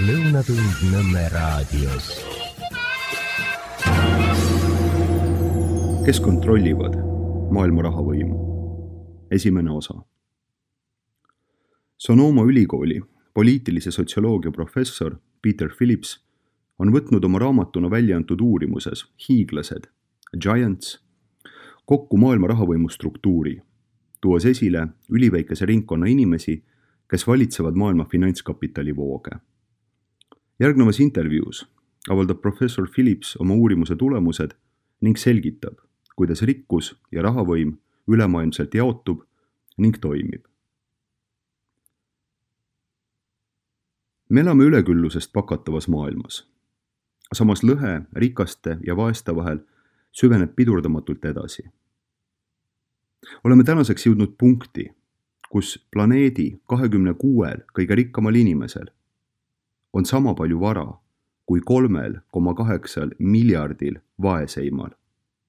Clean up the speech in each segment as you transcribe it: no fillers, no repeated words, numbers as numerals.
Lõunatund Nõmme raadios. Kes kontrollivad maailma rahavõimu? Esimene osa. Sonoma ülikooli poliitilise sotsioloogia professor Peter Phillips on võtnud oma raamatuna välja antud uurimuses Hiiglased, Giants, kokku maailma rahavõimu struktuuri, tuues esile üliväikese ringkonna inimesi, kes valitsevad maailma finantskapitali vooge. Järgnevas intervjuus avaldab professor Phillips oma uurimuse tulemused ning selgitab, kuidas rikkus ja rahavõim ülemaailmselt jaotub ning toimib. Me elame üleküllusest pakatavas maailmas. Samas lõhe rikaste ja vaeste vahel süveneb pidurdamatult edasi. Oleme tänaseks jõudnud punkti, kus planeedi 26 kõige rikkamal inimesel on sama palju vara kui 3,8 miljardil vaeseimal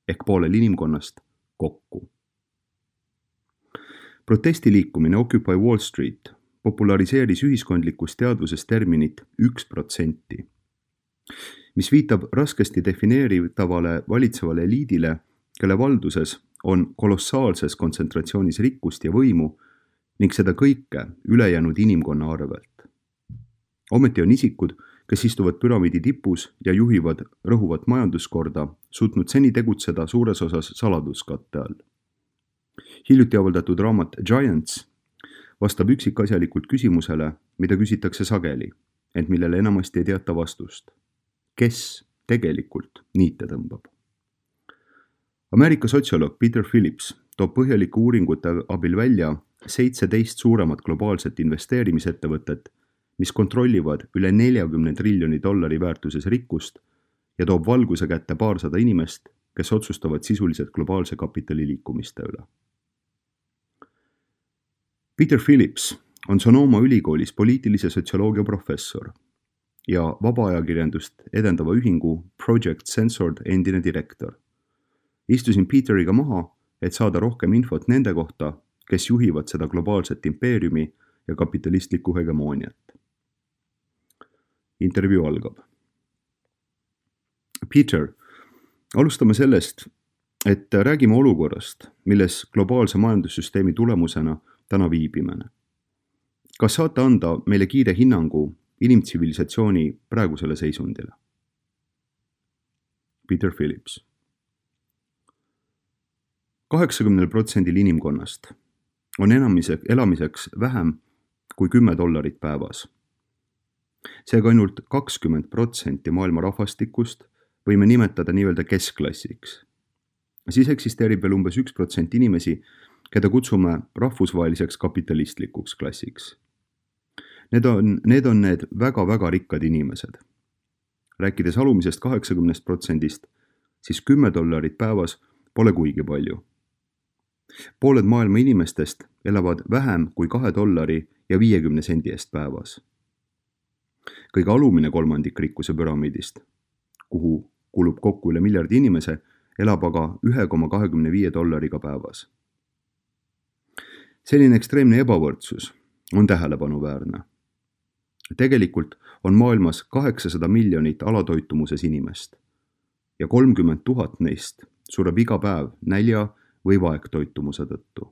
ehk poolel inimkonnast kokku. Protestiliikumine Occupy Wall Street populariseeris ühiskondlikus teadvuses terminit 1%, mis viitab raskesti defineeritavale valitsevale eliidile, kelle valduses on kolossaalses kontsentratsioonis rikkust ja võimu ning seda kõike ülejäänud inimkonna arvelt. Ometi on isikud, kes istuvad püramiidi tipus ja juhivad rõhuvat majanduskorda, suutnud seni tegutseda suures osas saladuskatte all. Hiljuti avaldatud raamat Giants vastab üksikasjalikult küsimusele, mida küsitakse sageli, ent millele enamasti ei teata vastust. Kes tegelikult niite tõmbab? Ameerika sotsioloog Peter Phillips toob põhjalike uuringute abil välja 17 suuremat globaalset investeerimisettevõtet, mis kontrollivad üle 40 triljoni dollari väärtuses rikkust ja toob valguse kätte paarsada inimest, kes otsustavad sisuliselt globaalse kapitali liikumiste üle. Peter Phillips on Sonoma ülikoolis poliitilise sotsioloogia professor ja vabaajakirjandust edendava ühingu Project Censored endine direktor. Istusin Peteriga maha, et saada rohkem infot nende kohta, kes juhivad seda globaalset impeeriumi ja kapitalistlikku hegemooniat. Intervjuu algab. Peter, alustame sellest, et räägime olukorrast, milles globaalse majandussüsteemi tulemusena täna viibime. Kas saate anda meile kiire hinnangu inimtsivilisatsiooni praegusele seisundile? Peter Phillips. 80% inimkonnast on elamiseks vähem kui $10 päevas. Seega ainult 20% maailma rahvastikust võime nimetada nii-öelda keskklassiks. Siis eksisteerib veel umbes 1% inimesi, keda kutsume rahvusvaheliseks kapitalistlikuks klassiks. Need on need väga-väga rikkad inimesed. Rääkides alumisest 80%, siis $10 päevas pole kuigi palju. Pooled maailma inimestest elavad vähem kui $2.50 eest päevas. Kõige alumine kolmandik rikkuse püramiidist, kuhu kulub kokku üle miljardi inimese, elab aga $1,25 päevas. Selline ekstreemne ebavõrdsus on tähelepanuväärne. Tegelikult on maailmas 800 miljonit alatoitumuses inimest ja 30 000 neist sureb iga päev nälja või vaegtoitumuse tõttu.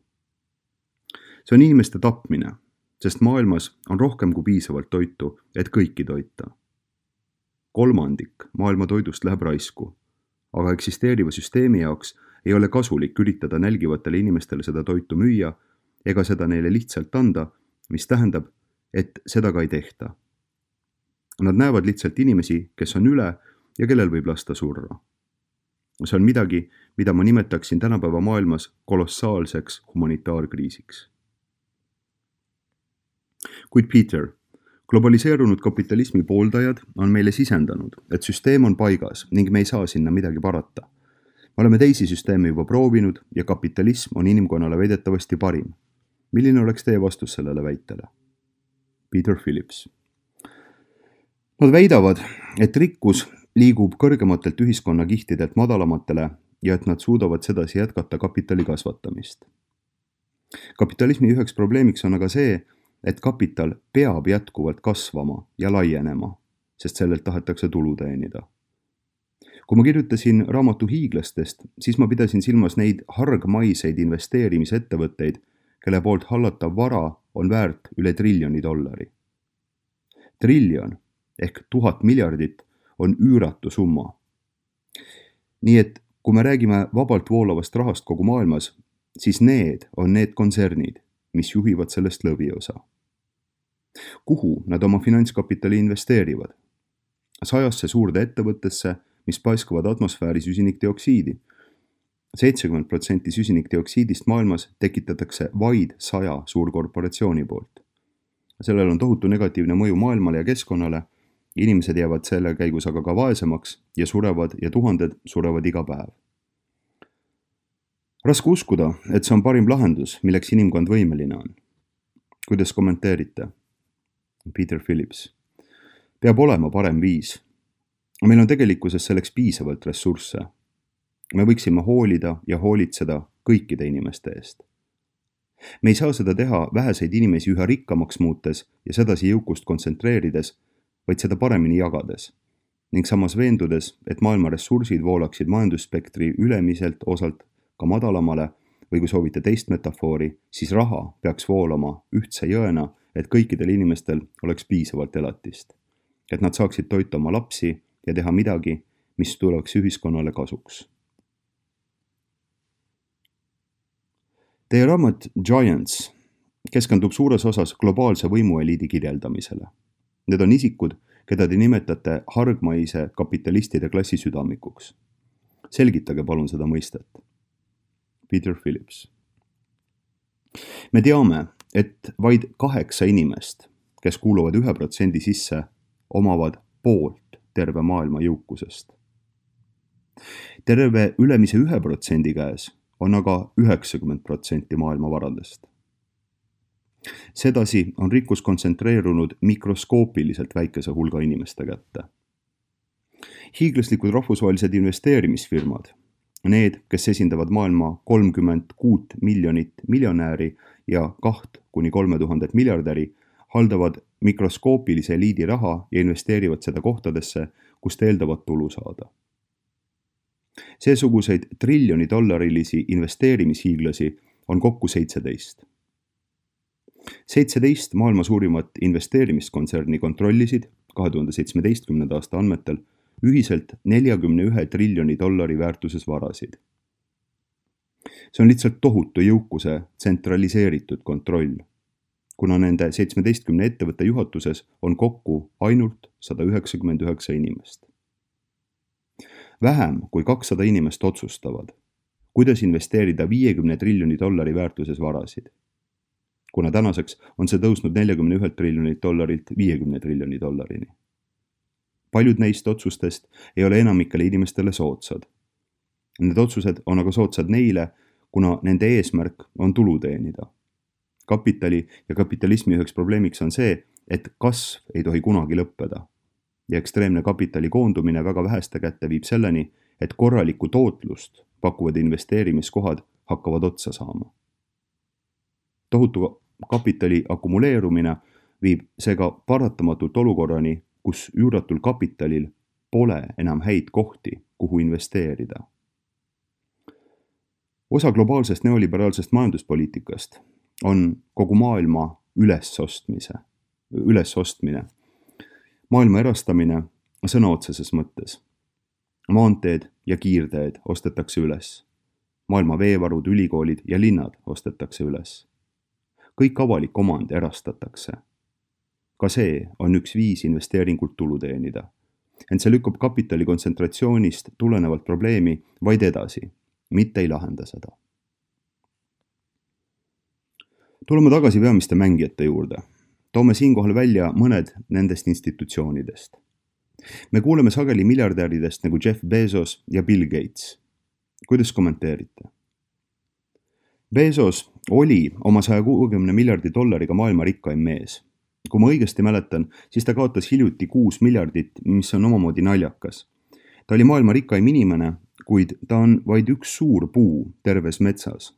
See on inimeste tapmine, sest maailmas on rohkem kui piisavalt toitu, et kõiki toita. 1/3 maailma toidust läheb raisku, aga eksisteeriva süsteemi jaoks ei ole kasulik üritada nälgivatele inimestele seda toitu müüa ega seda neile lihtsalt anda, mis tähendab, et seda ka ei tehta. Nad näevad lihtsalt inimesi, kes on üle ja kellel võib lasta surra. See on midagi, mida ma nimetaksin tänapäeva maailmas kolossaalseks humanitaarkriisiks. Kuid Peter, globaliseerunud kapitalismi pooldajad on meile sisendanud, et süsteem on paigas ning me ei saa sinna midagi parata. Me oleme teisi süsteeme juba proovinud ja kapitalism on inimkonnale väidetavasti parim. Milline oleks teie vastus sellele väitele? Peter Phillips. Nad väidavad, et rikkus liigub kõrgematelt ühiskonnakihtidelt madalamatele ja et nad suudavad sedasi jätkata kapitali kasvatamist. Kapitalismi üheks probleemiks on aga see, et kapital peab jätkuvalt kasvama ja laienema, sest sellelt tahetakse tulu teenida. Kui ma kirjutasin raamatu hiiglastest, siis ma pidasin silmas neid hargmaiseid investeerimisettevõtteid, kelle poolt hallatav vara on väärt üle $1 trillioni. Triljon ehk 1000 miljardit on üüratu summa. Nii et kui me räägime vabalt voolavast rahast kogu maailmas, siis need on need kontsernid, mis juhivad sellest lõviosa. Kuhu nad oma finantskapitali investeerivad? 100 suurde ettevõttesse, mis paiskavad atmosfääri süsinikdioksiidi. 70% süsinikdioksiidist maailmas tekitatakse vaid 100 suurkorporatsiooni poolt. Sellel on tohutu negatiivne mõju maailmale ja keskkonnale. Inimesed jäävad selle käigus aga ka vaesemaks ja surevad ja tuhanded surevad iga päev. Raske uskuda, et see on parim lahendus, milleks inimkond võimeline on. Kuidas kommenteerite? Peter Phillips. Peab olema parem viis. Meil on tegelikkuses selleks piisavalt ressursse. Me võiksime hoolida ja hoolitseda kõikide inimeste eest. Me ei saa seda teha väheseid inimesi üha rikkamaks muutes ja sedasi jõukust kontsentreerides, vaid seda paremini jagades ning samas veendudes, et maailma ressursid voolaksid majandusspektri ülemiselt osalt ka madalamale või kui soovite teist metafoori, siis raha peaks voolama ühtse jõena, et kõikidel inimestel oleks piisavalt elatist, et nad saaksid toita oma lapsi ja teha midagi, mis tuleks ühiskonnale kasuks. Teie raamat Giants keskendub suures osas globaalse võimueliidi kirjeldamisele. Need on isikud, keda te nimetate hargmaise kapitalistide klassi südamikuks. Selgitage palun seda mõistet. Peter Phillips. Me teame, et vaid 8 inimest, kes kuuluvad 1% sisse, omavad poolt terve maailma jõukusest. Terve ülemise 1% käes on aga 90% maailma varadest. Sedasi on rikkus kontsentreerunud mikroskoopiliselt väikese hulga inimeste kätte. Hiiglaslikud rahvusvahelised investeerimisfirmad, need, kes esindavad maailma 36 miljonit miljonääri ja 2–3000 miljardäri, haldavad mikroskoopilise eliidi raha ja investeerivad seda kohtadesse, kust eeldavad tulu saada. Seesuguseid $1 triljoni investeerimishiiglasi on kokku 17. 17 maailma suurimat investeerimiskontserni kontrollisid 2017. aasta andmetel ühiselt $41 triljoni väärtuses varasid. See on lihtsalt tohutu jõukuse tsentraliseeritud kontroll, kuna nende 17 ettevõtte juhatuses on kokku ainult 199 inimest. Vähem kui 200 inimest otsustavad, kuidas investeerida $50 triljoni väärtuses varasid, kuna tänaseks on see tõusnud $41 triljonilt $50 triljoni. Paljud neist otsustest ei ole enamikele inimestele soodsad. Need otsused on aga soodsad neile, kuna nende eesmärk on tulu teenida. Kapitali ja kapitalismi üheks probleemiks on see, et kasv ei tohi kunagi lõppeda. Ja ekstreemne kapitali koondumine väga väheste kätte viib selleni, et korralikku tootlust pakuvad investeerimiskohad hakkavad otsa saama. Tohutu kapitali akumuleerumine viib seega paratamatult olukorrani, kus üüratul kapitalil pole enam häid kohti, kuhu investeerida. Osa globaalsest neoliberaalsest majanduspoliitikast on kogu maailma ülesostmine. Maailma erastamine sõna otseses mõttes. Maanteed ja kiirteed ostetakse üles. Maailma veevarud, ülikoolid ja linnad ostetakse üles. Kõik avalik omand erastatakse. Ka see on üks viis investeeringult tulu teenida. Ent see lükkab kapitali kontsentratsioonist tulenevalt probleemi vaid edasi, mitte ei lahenda seda. Tuleme tagasi peamiste mängijate juurde. Toome siinkohal välja mõned nendest institutsioonidest. Me kuuleme sageli miljardäridest nagu Jeff Bezos ja Bill Gates. Kuidas kommenteerite? Bezos oli oma $160 miljardi maailma rikkaim mees. Kui ma õigesti mäletan, siis ta kaotas hiljuti 6 miljardit, mis on omamoodi naljakas. Ta oli maailma rikkaim inimene, kuid ta on vaid üks suur puu terves metsas.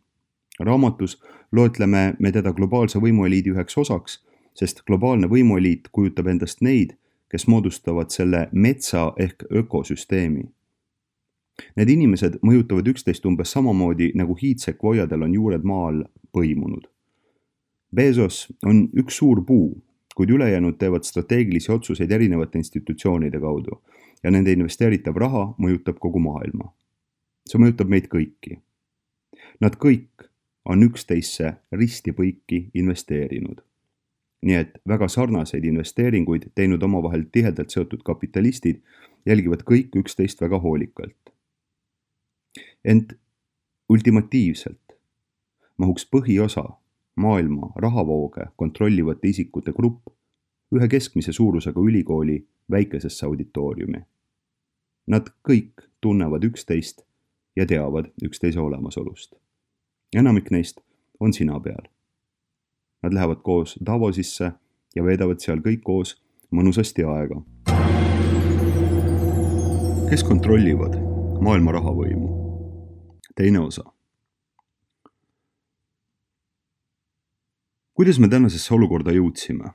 Raamatus loetleme me teda globaalse võimueliidi üheks osaks, sest globaalne võimueliit kujutab endast neid, kes moodustavad selle metsa ehk ökosüsteemi. Need inimesed mõjutavad üksteist umbes samamoodi, nagu hiidsekvoiadel on juured maa all põimunud. Bezos on üks suur puu, kuid ülejäänud teevad strateegilisi otsuseid erinevate institutsioonide kaudu ja nende investeeritav raha mõjutab kogu maailma. See mõjutab meid kõiki. Nad kõik on üksteisse risti-põiki investeerinud. Nii et väga sarnaseid investeeringuid teinud omavahel tihedalt seotud kapitalistid jälgivad kõik üksteist väga hoolikalt. Ent ultimatiivselt mahuks põhiosa maailma rahavooge kontrollivate isikute grupp ühe keskmise suurusega ülikooli väikesesse auditooriumi. Nad kõik tunnevad üksteist ja teavad üksteise olemasolust. Enamik neist on sina peal. Nad lähevad koos Davosisse ja veedavad seal kõik koos mõnusasti aega. Kes kontrollivad maailma rahavõimu? Teine osa. Kuidas me tänasesse olukorda jõudsime?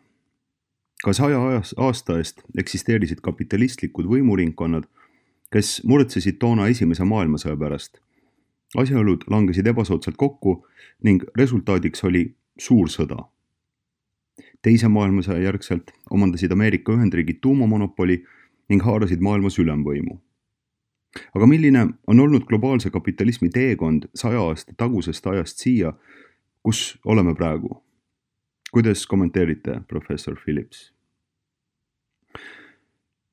Ka 100 aasta eest eksisteerisid kapitalistlikud võimuringkonnad, kes muretsesid toona esimese maailmasõja pärast. Asjaolud langesid ebasoodsalt kokku ning resultaadiks oli suur sõda. Teise maailmasõja järgselt omandasid Ameerika Ühendriigid tuumamonopoli ning haarasid maailmas ülemvõimu. Aga milline on olnud globaalse kapitalismi teekond 100 aasta tagusest ajast siia, kus oleme praegu? Kuidas kommenteerite, professor Phillips?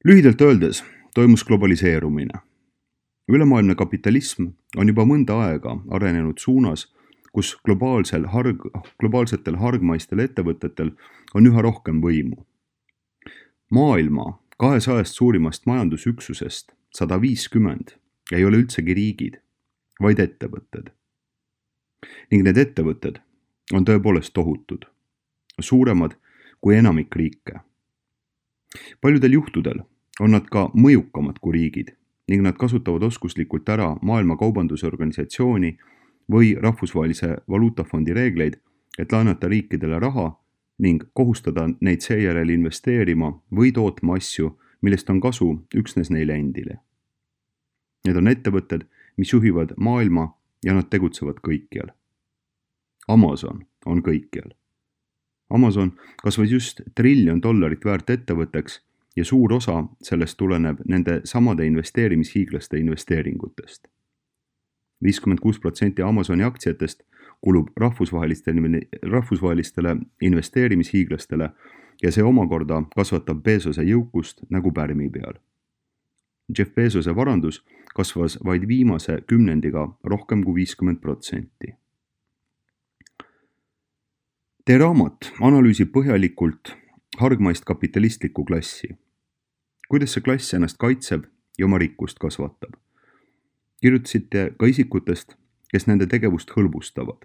Lühidalt öeldes toimus globaliseerumine. Ülemaailmne kapitalism on juba mõnda aega arenenud suunas, kus globaalsetel hargmaistel ettevõtetel on üha rohkem võimu. Maailma 200 suurimast majandusüksusest 150 ei ole üldsegi riigid, vaid ettevõtted. Ning need ettevõtted on tõepoolest tohutud, suuremad kui enamik riike. Paljudel juhtudel on nad ka mõjukamad kui riigid ning nad kasutavad oskuslikult ära Maailma Kaubandusorganisatsiooni või Rahvusvahelise Valuutafondi reegleid, et laenata riikidele raha ning kohustada neid seejärel investeerima või tootma asju, millest on kasu üksnes neile endile. Need on ettevõtted, mis juhivad maailma ja nad tegutsevad kõikjal. Amazon on kõikjal. Amazon kasvas just $1 trillion väärt ettevõtteks ja suur osa sellest tuleneb nende samade investeerimishiiglaste investeeringutest. 56% Amazoni aktsiatest kulub rahvusvahelistele investeerimishiiglastele ja see omakorda kasvatab Bezose jõukust nagu pärmi peal. Jeff Bezose varandus kasvas vaid viimase kümnendiga rohkem kui 50%. Teie raamat analüüsib põhjalikult hargmaist kapitalistlikku klassi. Kuidas see klass ennast kaitseb ja oma rikkust kasvatab? Kirjutasite ka isikutest, kes nende tegevust hõlbustavad.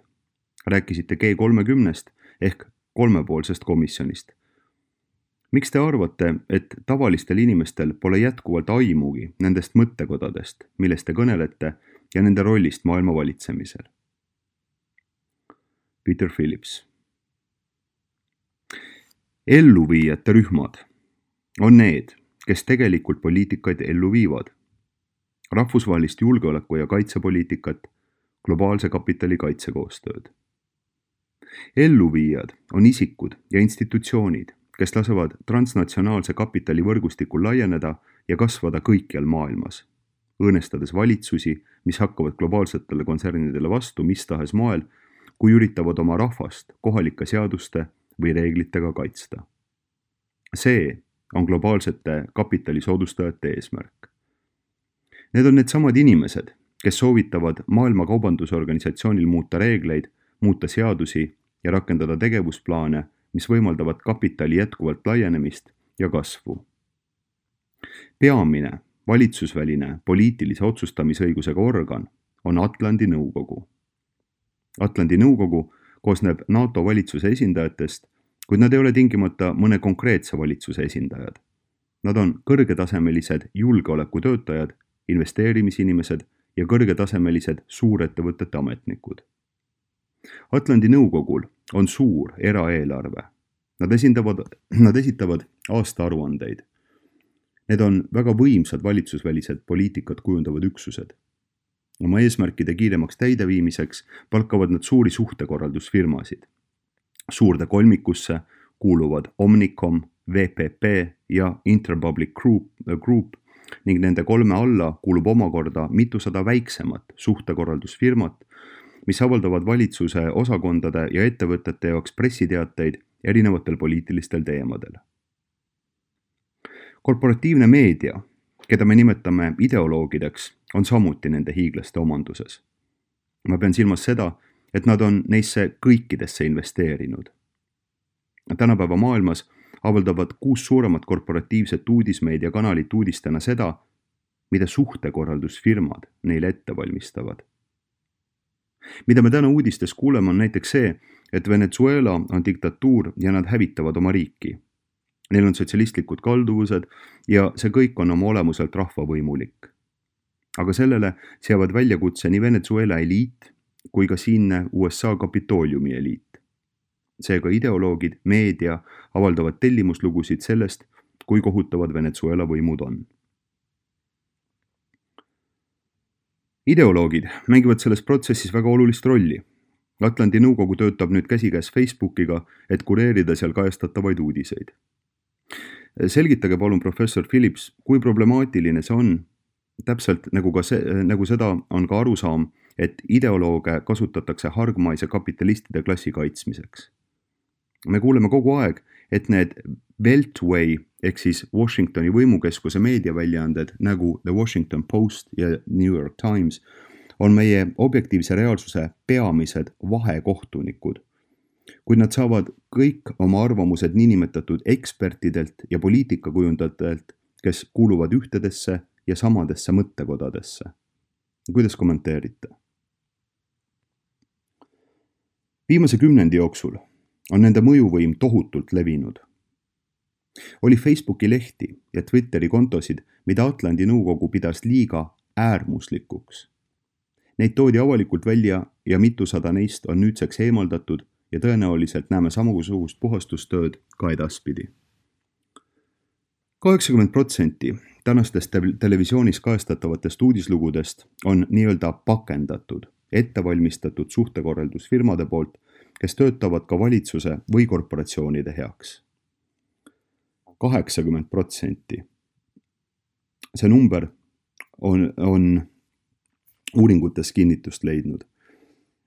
Rääkisite G30 ehk kolmepoolsest komisjonist. Miks te arvate, et tavalistel inimestel pole jätkuvalt aimugi nendest mõttekodadest, millest te kõnelete ja nende rollist maailma valitsemisel? Peter Phillips. Elluviijate rühmad on need, kes tegelikult poliitikaid ellu viivad. Rahvusvahelist julgeoleku- ja kaitsepoliitikat, globaalse kapitali kaitsekoostööd. Elluviijad on isikud ja institutsioonid, kes lasevad transnatsionaalse kapitali võrgustikul laieneda ja kasvada kõikjal maailmas, õõnestades valitsusi, mis hakkavad globaalsetele kontsernidele vastu mis tahes moel, kui üritavad oma rahvast kohalike seaduste või reeglitega kaitsta. See on globaalsete kapitali soodustajate eesmärk. Need on needsamad inimesed, kes soovitavad Maailma Kaubandusorganisatsioonil muuta reegleid, muuta seadusi ja rakendada tegevusplaane, mis võimaldavad kapitali jätkuvalt laienemist ja kasvu. Peamine valitsusväline poliitilise otsustamisõigusega organ on Atlandi nõukogu. Atlandi nõukogu koosneb NATO valitsuse esindajatest, kuid nad ei ole tingimata mõne konkreetse valitsuse esindajad. Nad on kõrgetasemelised julgeolekutöötajad, investeerimisinimesed ja kõrgetasemelised suurettevõtete ametnikud. Atlandi nõukogul on suur eraeelarve. Nad esitavad aastaaruandeid. Need on väga võimsad valitsusvälised poliitikat kujundavad üksused. Oma eesmärkide kiiremaks täideviimiseks palkavad nad suuri suhtekorraldusfirmasid. Suurde kolmikusse kuuluvad Omnicom, VPP ja Interpublic Group ning nende 3 alla kuulub omakorda mitusada väiksemat suhtekorraldusfirmat, mis avaldavad valitsuse osakondade ja ettevõtete jaoks pressiteateid erinevatel poliitilistel teemadel. Korporatiivne meedia, keda me nimetame ideoloogideks, on samuti nende hiiglaste omanduses. Ma pean silmas seda, et nad on neisse kõikidesse investeerinud. Tänapäeva maailmas avaldavad 6 suuremat korporatiivset uudismeediakanalit uudistena seda, mida suhtekorraldusfirmad neile ette valmistavad. Mida me täna uudistes kuuleme on näiteks see, et Venezuela on diktatuur ja nad hävitavad oma riiki. Neil on sotsialistlikud kalduvused ja see kõik on oma olemuselt rahvavõimulik. Aga sellele seavad väljakutse nii Venezuela eliit kui ka siinne USA Kapitooliumi eliit. Seega ideoloogid, meedia avaldavad tellimuslugusid sellest, kui kohutavad Venezuela võimud on. Ideoloogid mängivad selles protsessis väga olulist rolli. Atlandi nõukogu töötab nüüd käsikäes Facebookiga, et kureerida seal kajastatavaid uudiseid. Selgitage palun, professor Phillips, kui problemaatiline see on, täpselt nagu seda on ka arusaam, et ideolooge kasutatakse hargmaise kapitalistide klassi kaitsmiseks. Me kuuleme kogu aeg, et need Beltway ehk siis Washingtoni võimukeskuse meediaväljaanded nagu The Washington Post ja New York Times on meie objektiivse reaalsuse peamised vahekohtunikud, kuid nad saavad kõik oma arvamused niinimetatud ekspertidelt ja poliitikakujundajatelt, kes kuuluvad ühtedesse ja samadesse mõttekodadesse. Kuidas kommenteerite? Viimase 10 jooksul on nende mõjuvõim tohutult levinud. Oli Facebooki lehti ja Twitteri kontosid, mida Atlandi nõukogu pidas liiga äärmuslikuks. Neid toodi avalikult välja ja mitusada neist on nüüdseks eemaldatud ja tõenäoliselt näeme samasugust puhastustööd ka edaspidi. 80% tänastest televisioonis kajastatavatest uudislugudest on nii-öelda pakendatud, ettevalmistatud suhtekorraldusfirmade poolt, kes töötavad ka valitsuse või korporatsioonide heaks. 80%. See number on uuringutes kinnitust leidnud.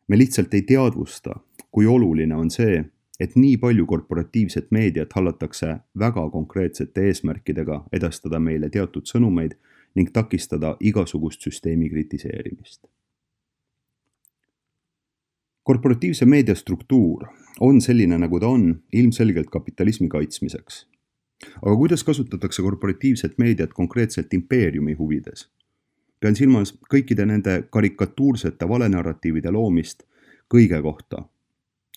Me lihtsalt ei teadvusta, kui oluline on see, et nii palju korporatiivset meediat hallatakse väga konkreetsete eesmärkidega edastada meile teatud sõnumeid ning takistada igasugust süsteemi kritiseerimist. Korporatiivse meedia struktuur on selline, nagu ta on, ilmselgelt kapitalismi kaitsmiseks. Aga kuidas kasutatakse korporatiivset meediat konkreetselt impeeriumi huvides? Pean silmas kõikide nende karikatuursete valenarratiivide loomist kõige kohta,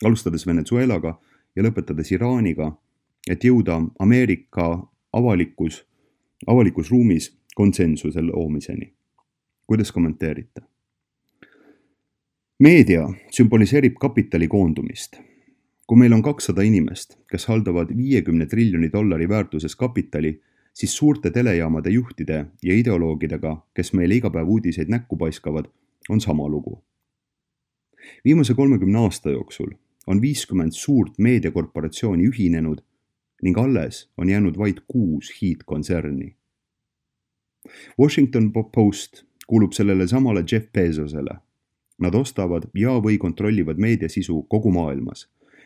alustades Venezuelaga ja lõpetades Iraaniga, et jõuda Ameerika avalikus ruumis konsensuse loomiseni. Kuidas kommenteerite? Meedia sümboliseerib kapitali koondumist. Kui meil on 200 inimest, kes haldavad $50 triljoni väärtuses kapitali, siis suurte telejaamade juhtide ja ideoloogidega, kes meile iga päev uudiseid näkku paiskavad, on sama lugu. Viimase 30 aasta jooksul on 50 suurt meediakorporatsiooni ühinenud ning alles on jäänud vaid 6 hiidkontserni. Washington Post kuulub sellele samale Jeff Bezosele. Nad ostavad ja või kontrollivad meediasisu kogu maailmas,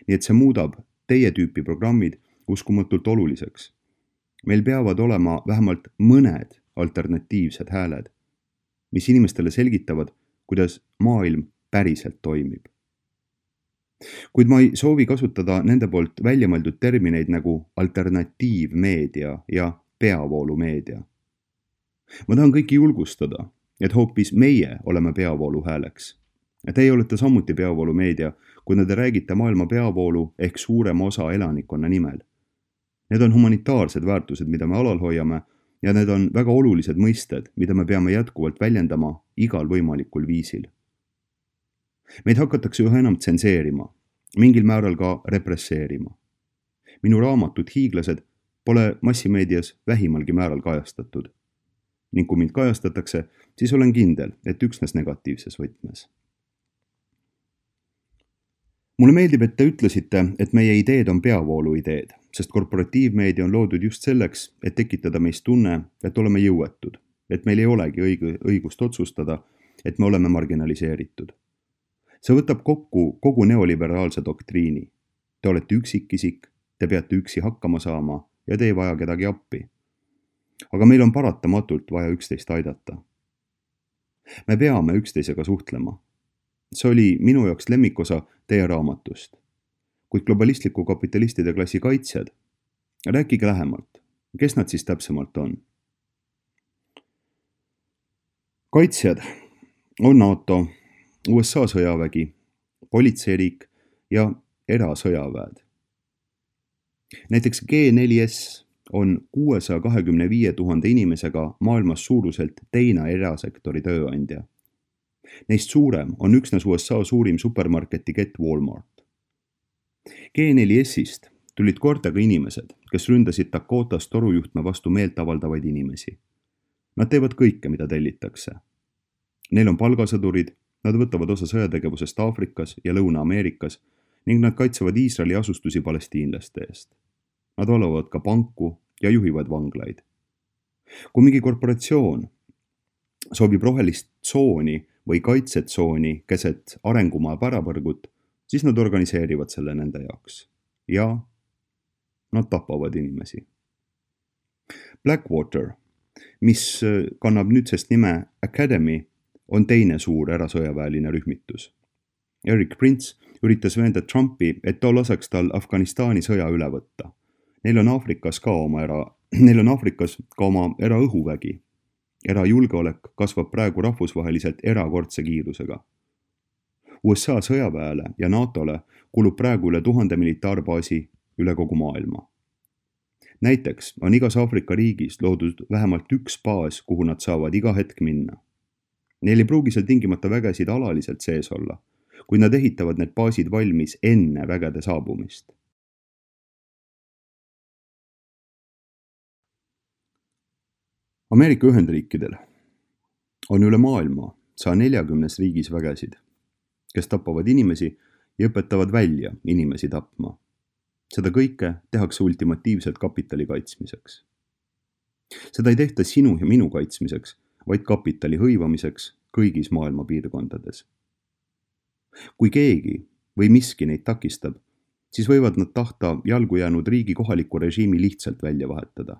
nii et see muudab teie tüüpi programmid uskumatult oluliseks. Meil peavad olema vähemalt mõned alternatiivsed hääled, mis inimestele selgitavad, kuidas maailm päriselt toimib. Kuid ma ei soovi kasutada nende poolt väljamõeldud termineid nagu alternatiivmeedia ja peavoolumeedia. Ma tahan kõiki julgustada, et hoopis meie oleme peavoolu hääleks. Teie olete samuti peavoolumeedia, kui te räägite maailma peavoolu ehk suurema osa elanikkonna nimel. Need on humanitaarsed väärtused, mida me alal hoiame, ja need on väga olulised mõisted, mida me peame jätkuvalt väljendama igal võimalikul viisil. Meid hakatakse üha enam tsenseerima, mingil määral ka represseerima. Minu raamatud Hiiglased pole massimeedias vähimalgi määral kajastatud. Ning kui mind kajastatakse, siis olen kindel, et üksnes negatiivses võtmes. Mulle meeldib, et te ütlesite, et meie ideed on peavoolu ideed, sest korporatiivmeedia on loodud just selleks, et tekitada meist tunne, et oleme jõuetud, et meil ei olegi õigust otsustada, et me oleme marginaliseeritud. See võtab kokku kogu neoliberaalse doktriini. Te olete üksikisik, te peate üksi hakkama saama ja te ei vaja kedagi appi. Aga meil on paratamatult vaja üksteist aidata. Me peame üksteisega suhtlema. See oli minu jaoks lemmikosa teie raamatust. Kuid globalistliku kapitalistide klassi kaitsjad, rääkige lähemalt, kes nad siis täpsemalt on? Kaitsjad on NATO, USA sõjavägi, politseiriik ja erasõjaväed. Näiteks G4S on 625 000 inimesega maailmas suuruselt teine erasektori tööandja. Neist suurem on üksnes USA suurim supermarketi kett Walmart. G4S-ist tulid kortega inimesed, kes ründasid Dakotas torujuhtme vastu meelt avaldavaid inimesi. Nad teevad kõike, mida tellitakse. Neil on palgasõdurid, nad võtavad osa sõjategevusest Aafrikas ja Lõuna-Ameerikas ning nad kaitsevad Iisraeli asustusi palestiinlaste eest. Nad valvavad ka panku ja juhivad vanglaid. Kui mingi korporatsioon soovib rohelist tsooni või kaitsetsooni keset arengumaa pärapõrgut, siis nad organiseerivad selle nende jaoks. Ja nad tapavad inimesi. Blackwater, mis kannab nüüdsest nime Academy, on teine suur erasõjaväeline rühmitus. Eric Prince üritas veenda Trumpi, et ta laseks tal Afganistani sõja üle võtta. Neil on Aafrikas ka oma eraõhuvägi. Erajulgeolek kasvab praegu rahvusvaheliselt erakordse kiirusega. USA sõjaväele ja NATOle kulub praegu üle 1000 militaarbaasi üle kogu maailma. Näiteks on igas Aafrika riigis loodud vähemalt üks baas, kuhu nad saavad iga hetk minna. Neil ei pruugi seal tingimata vägesid alaliselt sees olla, kui nad ehitavad need baasid valmis enne vägede saabumist. Ameerika Ühendriikidel on üle maailma 140 riigis vägesid, kes tapavad inimesi ja õpetavad välja inimesi tapma. Seda kõike tehakse ultimatiivselt kapitali kaitsmiseks. Seda ei tehta sinu ja minu kaitsmiseks, vaid kapitali hõivamiseks kõigis maailma piirkondades. Kui keegi või miski neid takistab, siis võivad nad tahta jalgu jäänud riigi kohaliku režiimi lihtsalt välja vahetada.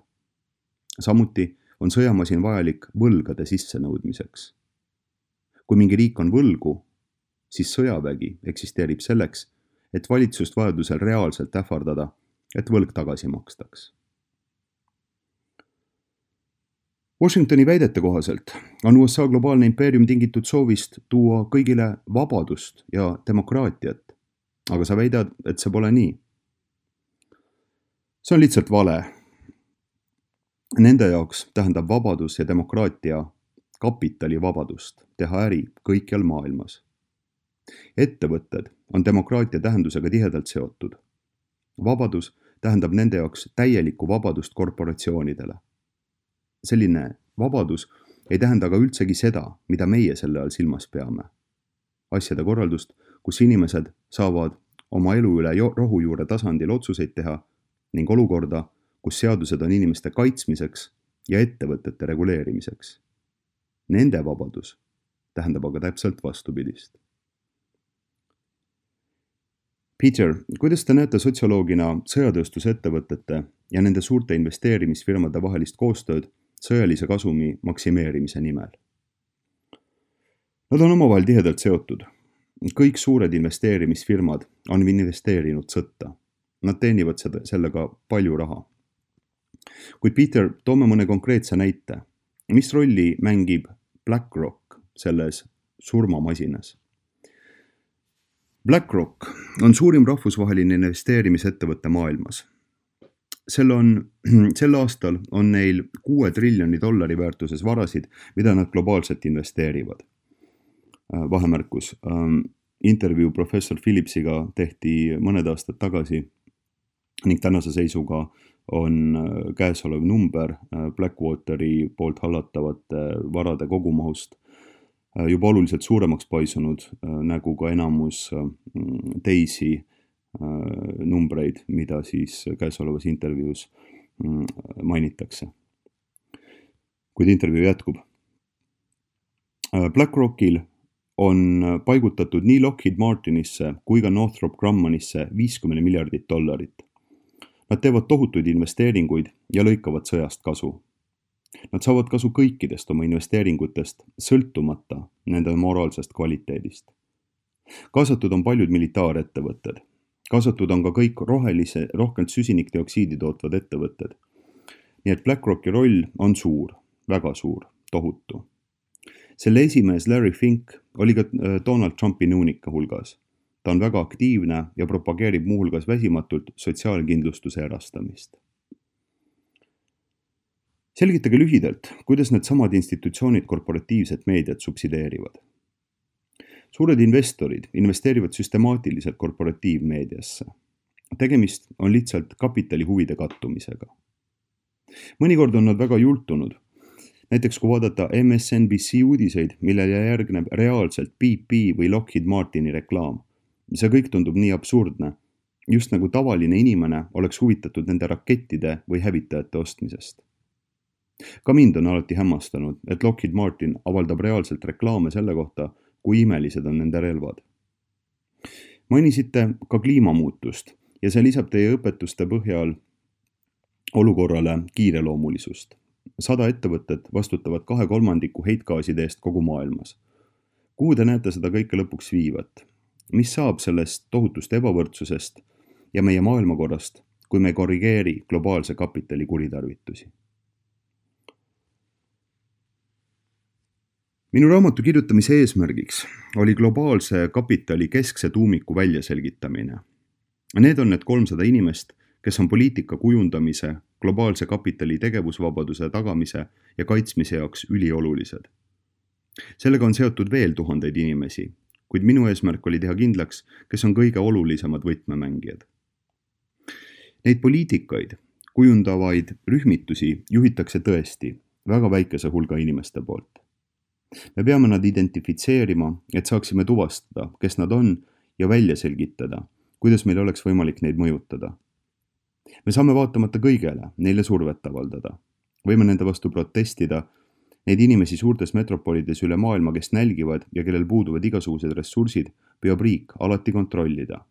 Samuti on sõjamasin vajalik võlgade sissenõudmiseks. Kui mingi riik on võlgu, siis sõjavägi eksisteerib selleks, et valitsust vajadusel reaalselt ähvardada, et võlg tagasi makstaks. Washingtoni väidete kohaselt on USA globaalne impeerium tingitud soovist tuua kõigile vabadust ja demokraatiat, aga sa väidad, et see pole nii. See on lihtsalt vale. Nende jaoks tähendab vabadus ja demokraatia kapitali vabadust teha äri kõikjal maailmas. Ettevõtted on demokraatia tähendusega tihedalt seotud. Vabadus tähendab nende jaoks täielikku vabadust korporatsioonidele. Selline vabadus ei tähenda aga üldsegi seda, mida meie selle all silmas peame. Asjade korraldust, kus inimesed saavad oma elu üle rohujuure tasandil otsuseid teha ning olukorda, kus seadused on inimeste kaitsmiseks ja ettevõtete reguleerimiseks. Nende vabadus tähendab aga täpselt vastupidist. Peter, kuidas te näete sotsioloogina sõjatööstusettevõtete ja nende suurte investeerimisfirmade vahelist koostööd sõjalise kasumi maksimeerimise nimel? Nad on omavahel tihedalt seotud. Kõik suured investeerimisfirmad on investeerinud sõtta. Nad teenivad sellega palju raha. Kuid Peter, toome mõne konkreetse näite. Mis rolli mängib BlackRock selles surmamasinas? BlackRock on suurim rahvusvaheline investeerimisettevõtte maailmas. Sel aastal on neil $6 triljoni väärtuses varasid, mida nad globaalselt investeerivad. Vahemärkus. Intervjuu professor Philipsiga tehti mõned aastad tagasi ning tänase seisuga on käesolev number Blackwateri poolt hallatavate varade kogumahust juba oluliselt suuremaks paisunud, nagu ka enamus teisi numbreid, mida siis käesolevas intervjuus mainitakse. Kuid intervjuu jätkub. BlackRockil on paigutatud nii Lockheed Martinisse kui ka Northrop Grummanisse $50 miljardit. Nad teevad tohutuid investeeringuid ja lõikavad sõjast kasu. Nad saavad kasu kõikidest oma investeeringutest, sõltumata nende moraalsest kvaliteedist. Kaasatud on paljud militaarettevõtted. Kaasatud on ka kõik rohkelt süsinikdioksiidi tootvad ettevõtted. Nii et BlackRocki roll on suur, väga suur, tohutu. Selle esimees Larry Fink oli ka Donald Trumpi nõunike hulgas. Ta on väga aktiivne ja propageerib muuhulgas väsimatult sotsiaalkindlustuse erastamist. Selgitage lühidalt, kuidas need samad institutsioonid korporatiivset meediat subsideerivad. Suured investorid investeerivad süstemaatiliselt korporatiivmeediasse. Tegemist on lihtsalt kapitali huvide kattumisega. Mõnikord on nad väga jultunud. Näiteks kui vaadata MSNBC uudiseid, millele järgneb reaalselt BP või Lockheed Martini reklaam. See kõik tundub nii absurdne, just nagu tavaline inimene oleks huvitatud nende rakettide või hävitajate ostmisest. Ka mind on alati hämmastanud, et Lockheed Martin avaldab reaalselt reklaame selle kohta, kui imelised on nende relvad. Mainisite ka kliimamuutust ja see lisab teie õpetuste põhjal olukorrale kiireloomulisust. 100 ettevõtet vastutavad 2/3 heitgaaside eest kogu maailmas. Kuhu te näete seda kõike lõpuks viivat? Mis saab sellest tohutust ebavõrdsusest ja meie maailmakorrast, kui me korrigeeri globaalse kapitali kuritarvitusi? Minu raamatu kirjutamise eesmärgiks oli globaalse kapitali keskse tuumiku väljaselgitamine. Need on need 300 inimest, kes on poliitika kujundamise, globaalse kapitali tegevusvabaduse tagamise ja kaitsmise jaoks üliolulised. Sellega on seotud veel tuhandeid inimesi, kuid minu eesmärk oli teha kindlaks, kes on kõige olulisemad võtmemängijad. Neid poliitikaid kujundavaid rühmitusi juhitakse tõesti väga väikese hulga inimeste poolt. Me peame nad identifitseerima, et saaksime tuvastada, kes nad on ja välja selgitada, kuidas meil oleks võimalik neid mõjutada. Me saame vaatamata kõigele neile survet avaldada. Võime nende vastu protestida, neid inimesi suurtes metropolides üle maailma, kes nälgivad ja kellel puuduvad igasugused ressursid, peab riik alati kontrollida.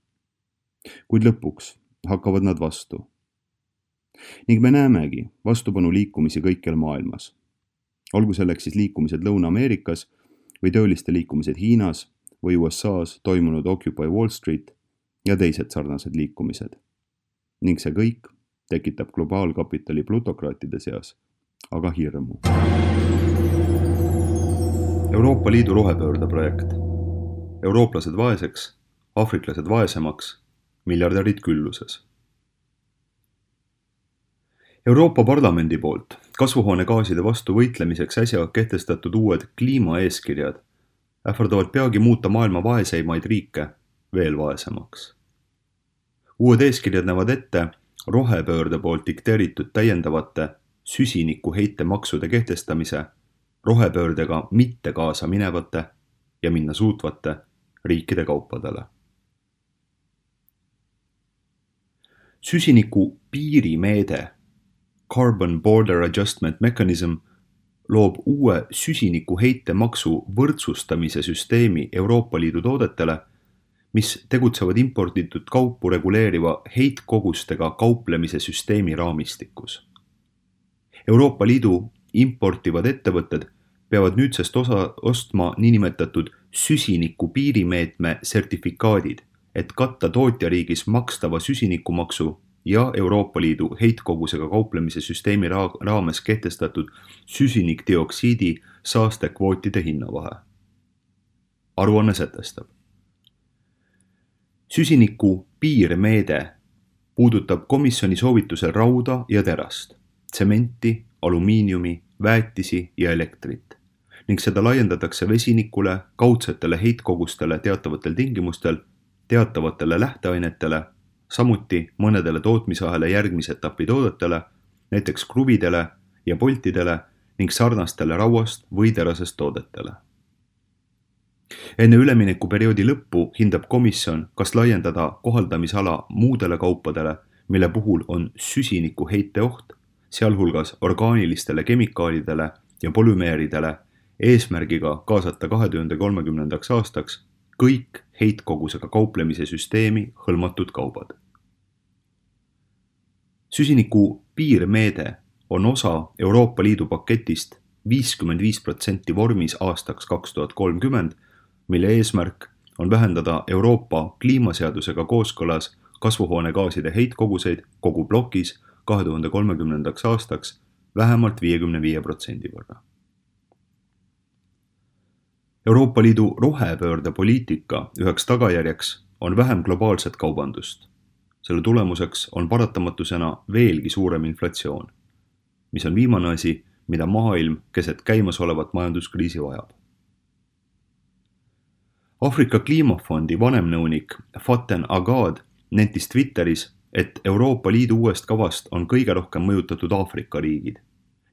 Kuid lõpuks hakkavad nad vastu. Ning me näemegi vastupanu liikumisi kõikjal maailmas. Olgu selleks siis liikumised Lõuna-Ameerikas või tööliste liikumised Hiinas või USA's toimunud Occupy Wall Street ja teised sarnased liikumised. Ning see kõik tekitab globaalkapitali plutokraatide seas, aga hirmu. Euroopa Liidu rohepöörde projekt. Eurooplased vaeseks, aafriklased vaesemaks, miljardärid külluses. Euroopa Parlamendi poolt kasvuhoonegaaside vastu võitlemiseks äsja kehtestatud uued kliimaeeskirjad ähvardavad peagi muuta maailma vaeseimaid riike veel vaesemaks. Uued eeskirjad näevad ette rohepöörde poolt dikteeritud täiendavate süsinikuheite maksude kehtestamise rohepöördega mitte kaasa minevate ja minna suutvate riikide kaupadele. Süsiniku piirimeede Carbon Border Adjustment Mechanism loob uue süsinikuheite maksu võrdsustamise süsteemi Euroopa Liidu toodetele, mis tegutsevad imporditud kaupu reguleeriva heitkogustega kauplemise süsteemi raamistikus. Euroopa Liidu importivad ettevõtted peavad nüüdsest ostma niinimetatud süsiniku piirimeetme sertifikaadid, et katta tootjariigis makstava süsinikumaksu ja Euroopa Liidu heitkogusega kauplemise süsteemi raames kehtestatud süsinikdioksiidi saastekvootide hinnavahe. Aruanne sätestab. Süsiniku piirmeede puudutab komisjoni soovitusel rauda ja terast, tsementi, alumiiniumi, väetisi ja elektrit ning seda laiendatakse vesinikule, kaudsetele heitkogustele teatavatel tingimustel, teatavatele lähteainetele, samuti mõnedele tootmisahela järgmise etapi toodetele, näiteks kruvidele ja poltidele ning sarnastele rauast või terasest toodetele. Enne üleminekuperioodi lõppu hindab komisjon, kas laiendada kohaldamisala muudele kaupadele, mille puhul on süsiniku heiteoht, sealhulgas orgaanilistele kemikaalidele ja polümeeridele, eesmärgiga kaasata 2030. aastaks kõik heitkogusega kauplemise süsteemi hõlmatud kaubad. Süsiniku piirmeede on osa Euroopa Liidu paketist 55% vormis aastaks 2030, mille eesmärk on vähendada Euroopa kliimaseadusega kooskõlas kasvuhoonegaaside heitkoguseid kogu plokis 2030. aastaks vähemalt 55% võrra. Euroopa Liidu rohepöördepoliitika üheks tagajärjeks on vähem globaalset kaubandust. Selle tulemuseks on paratamatusena veelgi suurem inflatsioon, mis on viimane asi, mida maailm keset käimasolevat majanduskriisi vajab. Aafrika kliimafondi vanemnõunik Faten Agad nentis Twitteris, et Euroopa Liidu uuest kavast on kõige rohkem mõjutatud Aafrika riigid,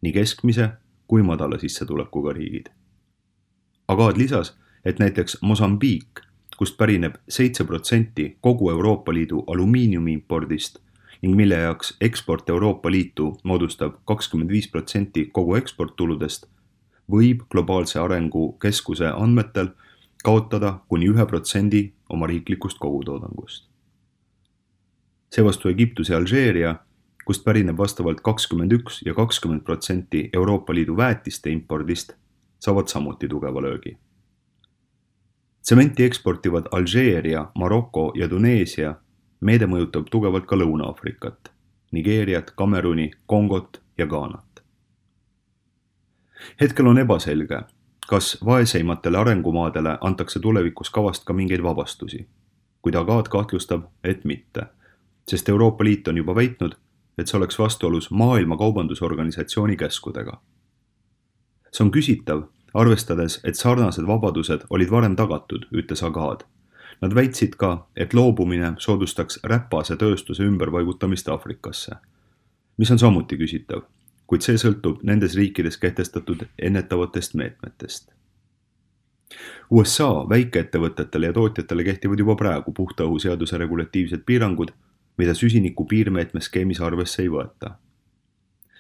nii keskmise kui madala sissetulekuga riigid. Agad lisas, et näiteks Mosambiik, kust pärineb 7% kogu Euroopa Liidu alumiiniumi impordist ning mille jaoks eksport Euroopa Liitu moodustab 25% kogu eksporttuludest, võib globaalse arengu keskuse andmetel kaotada kuni 1% oma riiklikust kogutoodangust. Seevastu Egiptus ja Alžeeria, kust pärineb vastavalt 21% ja 20% Euroopa Liidu väetiste impordist, saavad samuti tugeva löögi. Tsementi eksportivad Alžeeria, Maroko ja Tuneesia, meede mõjutab tugevalt ka Lõuna-Aafrikat, Nigeeriat, Kameruni, Kongot ja Ghanat. Hetkel on ebaselge, kas vaeseimatele arengumaadele antakse tulevikus kavast ka mingeid vabastusi, kuid Agad kahtlustab, et mitte, sest Euroopa Liit on juba väitnud, et see oleks vastuolus Maailma Kaubandusorganisatsiooni käskudega. See on küsitav, arvestades, et sarnased vabadused olid varem tagatud, ütles Agad. Nad väitsid ka, et loobumine soodustaks räpase tööstuse ümberpaigutamist Aafrikasse, mis on samuti küsitav, kuid see sõltub nendes riikides kehtestatud ennetavatest meetmetest. USA väikeettevõtetele ja tootjatele kehtivad juba praegu puhta õhu seaduse regulatiivsed piirangud, mida süsiniku piirmeetme skeemis arvesse ei võeta.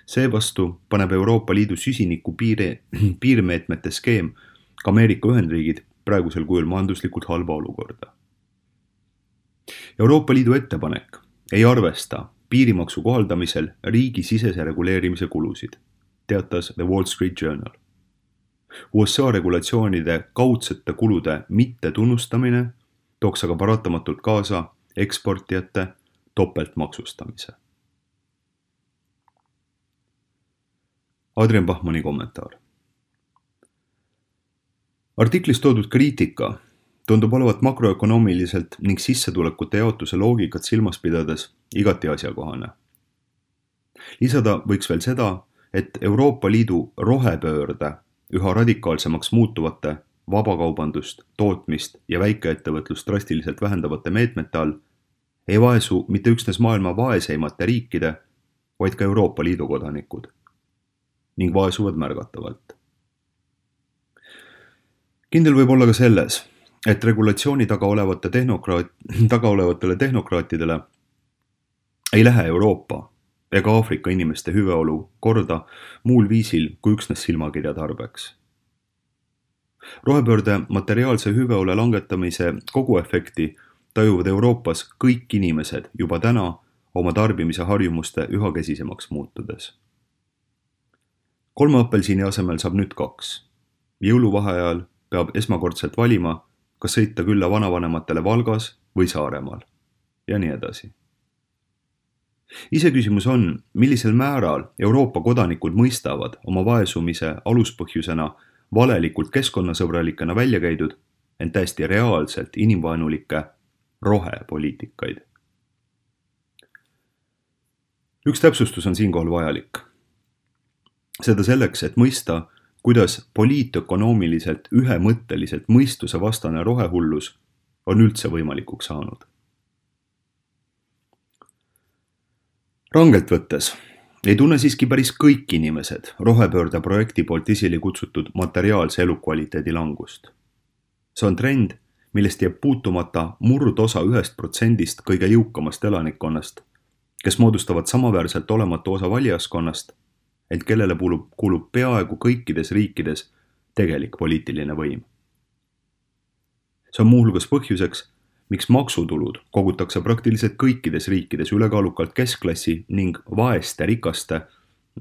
Seevastu paneb Euroopa Liidu süsiniku piirmeetmete skeem ka Ameerika Ühendriigid praegusel kujul majanduslikult halba olukorda. Euroopa Liidu ettepanek ei arvesta piirimaksu kohaldamisel riigisisese reguleerimise kulusid, teatas The Wall Street Journal. USA regulatsioonide kaudsete kulude mittetunnustamine tooks aga paratamatult kaasa eksportijate topeltmaksustamise. Adrian Bachmanni kommentaar. Artiklis toodud kriitika tundub olevat makroökonoomiliselt ning sissetulekute jaotuse loogikat silmas pidades igati asjakohane. Lisada võiks veel seda, et Euroopa Liidu rohepöörde üha radikaalsemaks muutuvate vabakaubandust, tootmist ja väikeettevõtlust drastiliselt vähendavate meetmete all ei vaesu mitte üksnes maailma vaeseimate riikide, vaid ka Euroopa Liidu kodanikud ning vaesuvad märgatavalt. Kindel võib olla ka selles, et regulatsiooni taga olevatele tehnokraatidele ei lähe Euroopa ega Aafrika inimeste hüveolu korda muul viisil kui üksnes silmakirja tarbeks. Rohepöörde materiaalse hüveole langetamise koguefekti tajuvad Euroopas kõik inimesed juba täna oma tarbimise harjumuste üha kesisemaks muutudes. 3 apelsini asemel saab nüüd 2. Jõuluvaheajal peab esmakordselt valima, kas sõita külla vanavanematele Valgas või Saaremaal ja nii edasi. Iseküsimus on, millisel määral Euroopa kodanikud mõistavad oma vaesumise aluspõhjusena valelikult keskkonnasõbralikena välja käidud, ent täiesti reaalselt inimvaenulikke rohepoliitikaid. Üks täpsustus on siinkohal vajalik. Seda selleks, et mõista, kuidas poliitökonoomiliselt ühemõtteliselt mõistuse vastane rohehullus on üldse võimalikuks saanud. Rangelt võttes ei tunne siiski päris kõik inimesed rohepöörde projekti poolt esile kutsutud materiaalse elukvaliteedi langust. See on trend, millest jääb puutumata murdosa 1% kõige jõukamast elanikkonnast, kes moodustavad samaväärselt olematu osa valijaskonnast, ent kellele kuulub peaaegu kõikides riikides tegelik poliitiline võim. See on muuhulgas põhjuseks, miks maksutulud kogutakse praktiliselt kõikides riikides ülekaalukalt keskklassi ning vaeste rikaste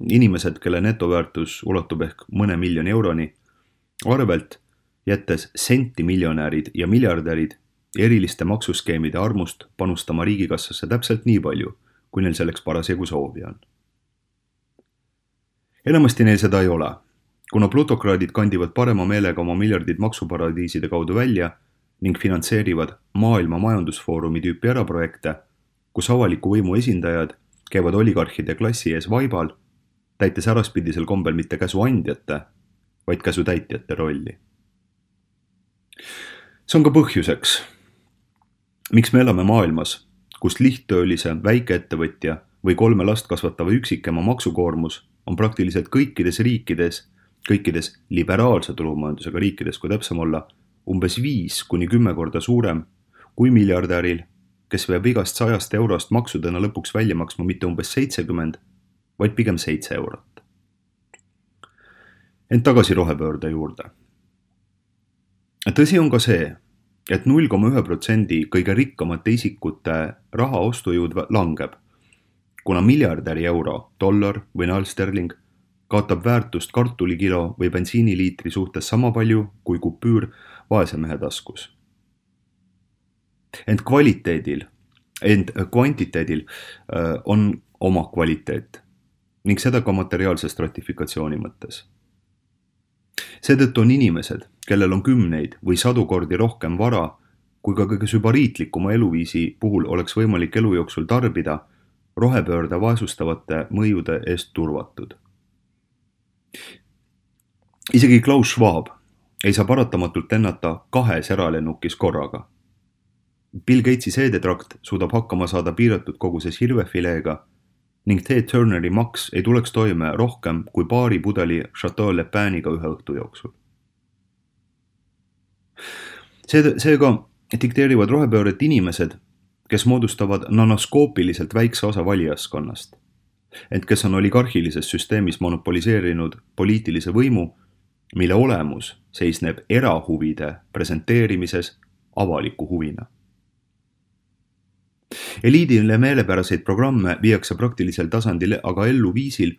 inimesed, kelle netoväärtus ulatub ehk mõne miljoni euroni, arvelt jättes sentimiljonärid ja miljardärid eriliste maksuskeemide armust panustama riigikassasse täpselt nii palju, kui neil selleks parasjagu soovi on. Enamasti neil seda ei ole, kuna plutokraadid kandivad parema meelega oma miljardid maksuparadiiside kaudu välja ning finantseerivad maailma majandusfoorumi tüüpi eraprojekte, kus avaliku võimu esindajad käivad oligarhide klassi ees vaibal, täites äraspidisel kombel mitte käsuandjate, vaid käsutäitjate rolli. See on ka põhjuseks, miks me elame maailmas, kus lihttöölise, väikeettevõtja või 3 last kasvatava üksikema maksukoormus on praktiliselt kõikides liberaalse turumajandusega riikides, kui täpsem olla, umbes 5–10 korda suurem kui miljardäril, kes veab igast 100 eurost maksudena lõpuks välja maksma mitte umbes 70, vaid pigem 7 eurot. Ent tagasi rohepöörde juurde. Tõsi on ka see, et 0,1% kõige rikkamate isikute raha ostujõud langeb, kuna miljardäri euro, dollar või naelsterling kaotab väärtust kartulikilo või bensiiniliitri suhtes sama palju kui kupüür vaese mehe taskus. Ent kvantiteedil on oma kvaliteet ning seda ka materiaalse stratifikatsiooni mõttes. Seetõttu on inimesed, kellel on 10 või 100 kordi rohkem vara, kui ka kõige sübariitlikuma eluviisi puhul oleks võimalik elu jooksul tarbida, rohepöörde vaesustavate mõjude eest turvatud. Isegi Klaus Schwab ei saa paratamatult ennata 2 eralennukis korraga. Bill Gatesi seedetrakt suudab hakkama saada piiratud koguses hirvefileega ning Ted Turneri maks ei tuleks toime rohkem kui paari pudeli Chateau Le Paniga ühe õhtu jooksul. Seega dikteerivad rohepööret inimesed, kes moodustavad nanoskoopiliselt väikse osa valijaskonnast, ent kes on oligarhilises süsteemis monopoliseerinud poliitilise võimu, mille olemus seisneb erahuvide presenteerimises avaliku huvina. Eliidile meelepäraseid programme viiakse praktilisel tasandil aga ellu viisil,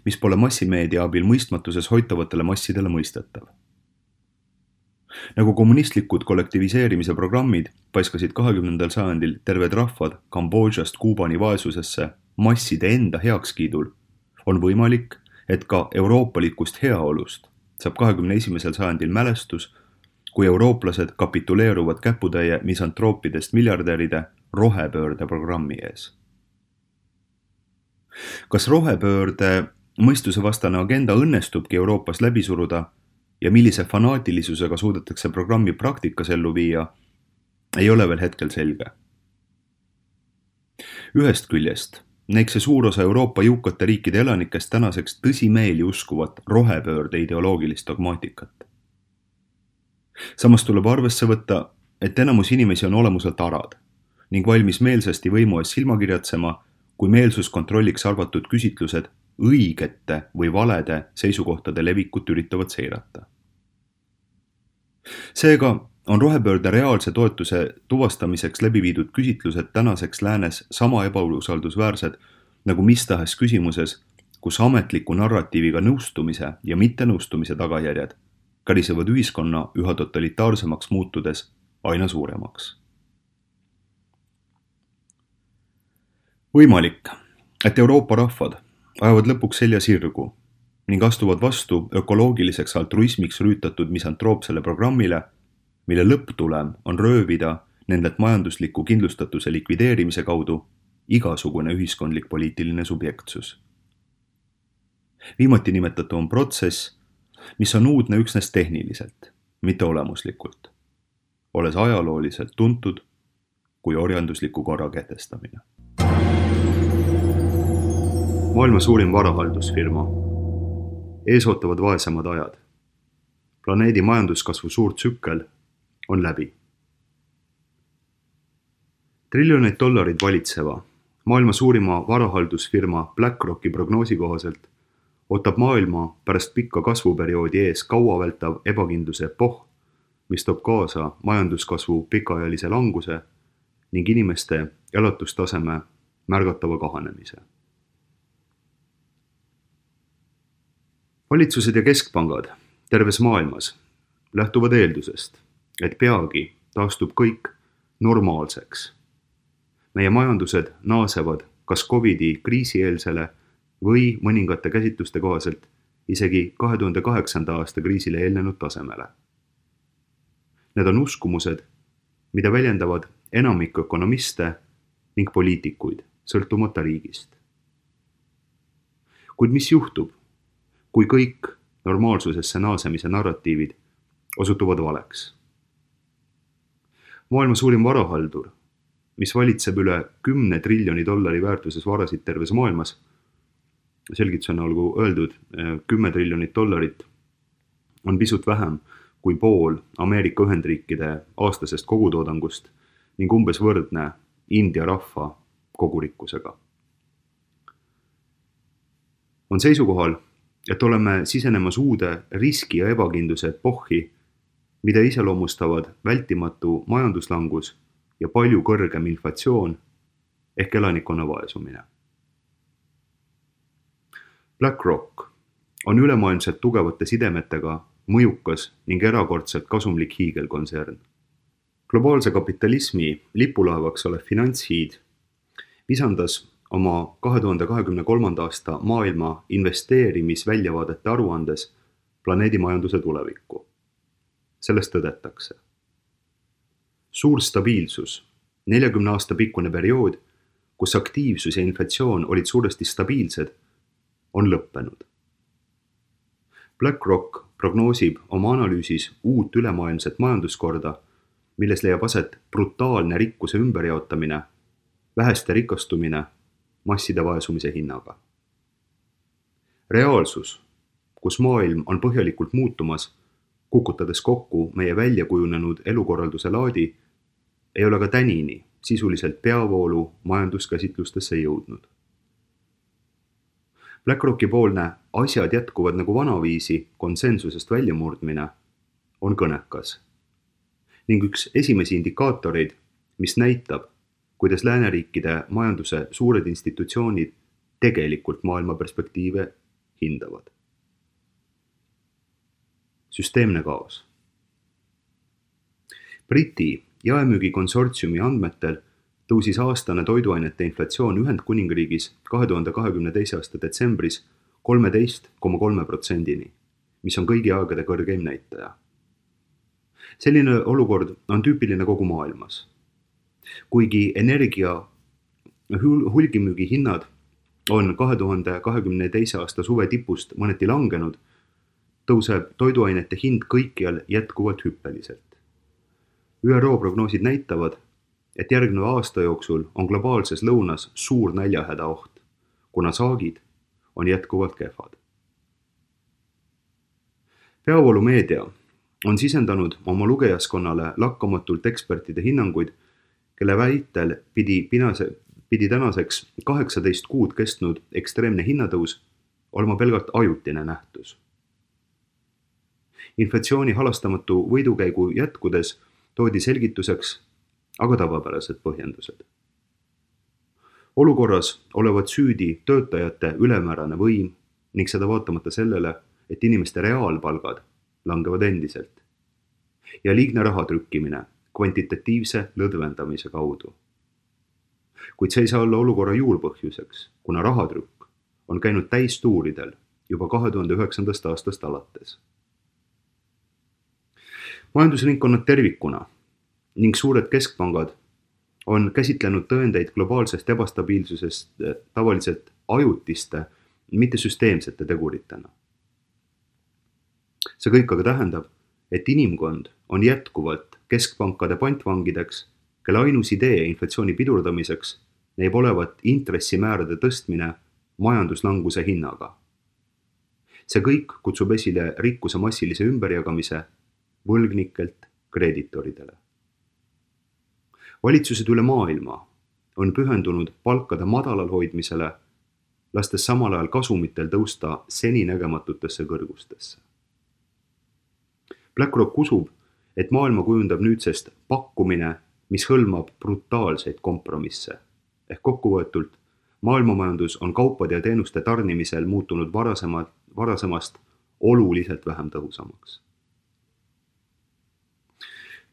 mis pole massimeedia abil mõistmatuses hoitavatele massidele mõistetav. Nagu kommunistlikud kollektiviseerimise programmid paiskasid 20. sajandil terved rahvad Kambodžast Kuubani vaesusesse masside enda heakskiidul, on võimalik, et ka euroopalikust heaolust saab 21. sajandil mälestus, kui eurooplased kapituleeruvad käputäie misantroopidest miljardäride rohepöörde programmi ees. Kas rohepöörde mõistusevastane agenda õnnestubki Euroopas läbi suruda ja millise fanaatilisusega suudetakse programmi praktikas ellu viia, ei ole veel hetkel selge. Ühest küljest näiks see suur osa Euroopa jõukate riikide elanikest tänaseks tõsimeeli uskuvat rohepöörde ideoloogilist dogmaatikat. Samas tuleb arvesse võtta, et enamus inimesi on olemuselt arad ning valmis meelsasti võimu ees silmakirjatsema, kui meelsus kontrolliks arvatud küsitlused õigete või valede seisukohtade levikut üritavad seirata. Seega on rohepöörde reaalse toetuse tuvastamiseks läbi viidud küsitlused tänaseks läänes sama ebausaldusväärsed nagu mis tahes küsimuses, kus ametliku narratiiviga nõustumise ja mittenõustumise tagajärjed karisevad ühiskonna üha totalitaarsemaks muutudes aina suuremaks. Võimalik, et Euroopa rahvad ajavad lõpuks selja sirgu ning astuvad vastu ökoloogiliseks altruismiks rüütatud misantroopsele programmile, mille lõpptulem on röövida nendelt majandusliku kindlustatuse likvideerimise kaudu igasugune ühiskondlik poliitiline subjektsus. Viimati nimetatu on protsess, mis on uudne üksnes tehniliselt, mitte olemuslikult, olles ajalooliselt tuntud kui orjandusliku korra kehtestamine. Maailma suurim varahaldusfirma. Ees ootavad vaesemad ajad. Planeedi majanduskasvu suur tsükkel on läbi. Triljoneid dollarid valitseva, maailma suurima varahaldusfirma BlackRocki prognoosi kohaselt ootab maailma pärast pikka kasvuperioodi ees kauavältav ebakindluse epohh, mis toob kaasa majanduskasvu pikaajalise languse ning inimeste elatustaseme märgatava kahanemise. Valitsused ja keskpangad terves maailmas lähtuvad eeldusest, et peagi taastub kõik normaalseks. Meie majandused naasevad kas COVID-i kriisieelsele või mõningate käsitluste kohaselt isegi 2008. aasta kriisile eelnenud tasemele. Need on uskumused, mida väljendavad enamik ökonomiste ning poliitikuid sõltumata riigist. Kuid mis juhtub, kui kõik normaalsusesse naasemise narratiivid osutuvad valeks? Maailma suurim varahaldur, mis valitseb üle 10 triljoni dollari väärtuses varasid terves maailmas, selgitusena olgu öeldud, 10 triljonit dollarit on pisut vähem kui pool Ameerika Ühendriikide aastasest kogutoodangust ning umbes võrdne India rahva kogurikkusega. On seisukohal, et oleme sisenemas uude riski ja ebakindluse epohhi, mida iseloomustavad vältimatu majanduslangus ja palju kõrgem inflatsioon ehk elanikkonna vaesumine. BlackRock on ülemaailmselt tugevate sidemetega mõjukas ning erakordselt kasumlik hiigelkontsern. Globaalse kapitalismi lipulaevaks olev finantshiid visandas oma 2023. aasta maailma investeerimisväljavaadete aruandes planeedi majanduse tulevikku. Sellest tõdetakse. Suur stabiilsus, 40 aasta pikkune periood, kus aktiivsus ja inflatsioon olid suuresti stabiilsed, on lõppenud. BlackRock prognoosib oma analüüsis uut ülemaailmset majanduskorda, milles leiab aset brutaalne rikkuse ümberjaotamine, väheste rikastumine, masside vaesumise hinnaga. Reaalsus, kus maailm on põhjalikult muutumas, kukutades kokku meie väljakujunenud elukorralduse laadi, ei ole ka tänini sisuliselt peavoolu majanduskäsitlustesse jõudnud. BlackRocki poolne asjad jätkuvad nagu vanaviisi konsensusest väljamurdmine on kõnekas ning üks esimesi indikaatoreid, mis näitab, kuidas lääneriikide majanduse suured institutsioonid tegelikult maailma perspektiive hindavad. Süsteemne kaos. Briti jaemüügikonsortsiumi andmetel tõusis aastane toiduainete inflatsioon Ühendkuningriigis 2022. aasta detsembris 13,3%-ni, mis on kõigi aegade kõrgeim näitaja. Selline olukord on tüüpiline kogu maailmas. Kuigi energia hulgimüügi hinnad on 2022. aasta suve tipust mõneti langenud, tõuseb toiduainete hind kõikjal jätkuvalt hüppeliselt. ÜRO prognoosid näitavad, et järgneva aasta jooksul on globaalses lõunas suur näljahäda oht, kuna saagid on jätkuvalt kehvad. Peavoolumeedia on sisendanud oma lugejaskonnale lakkamatult ekspertide hinnanguid, kelle väitel pidi tänaseks 18 kuud kestnud ekstreemne hinnatõus olema pelgalt ajutine nähtus. Inflatsiooni halastamatu võidukäigu jätkudes toodi selgituseks aga tavapärased põhjendused. Olukorras olevat süüdi töötajate ülemäärane võim ning seda vaatamata sellele, et inimeste reaalpalgad langevad endiselt ja liigne raha trükkimine kvantitatiivse lõdvendamise kaudu. Kuid see ei saa olla olukorra juurpõhjuseks, kuna rahatrükk on käinud täistuuridel juba 2009. aastast alates. Majandusringkonnad tervikuna ning suured keskpangad on käsitlenud tõendeid globaalsest ebastabiilsusest tavaliselt ajutiste, mitte süsteemsete teguritena. See kõik aga tähendab, et inimkond on jätkuvalt keskpankade pantvangideks, kelle ainus idee inflatsiooni pidurdamiseks näib olevat intressimäärade tõstmine majanduslanguse hinnaga. See kõik kutsub esile rikkuse massilise ümberjagamise võlgnikelt kreeditoridele. Valitsused üle maailma on pühendunud palkade madalal hoidmisele, lastes samal ajal kasumitel tõusta seninägematutesse kõrgustesse. BlackRock usub, et maailma kujundab nüüdsest pakkumine, mis hõlmab brutaalseid kompromisse. Ehk kokkuvõetult, maailmamajandus on kaupade ja teenuste tarnimisel muutunud varasemast oluliselt vähem tõhusamaks.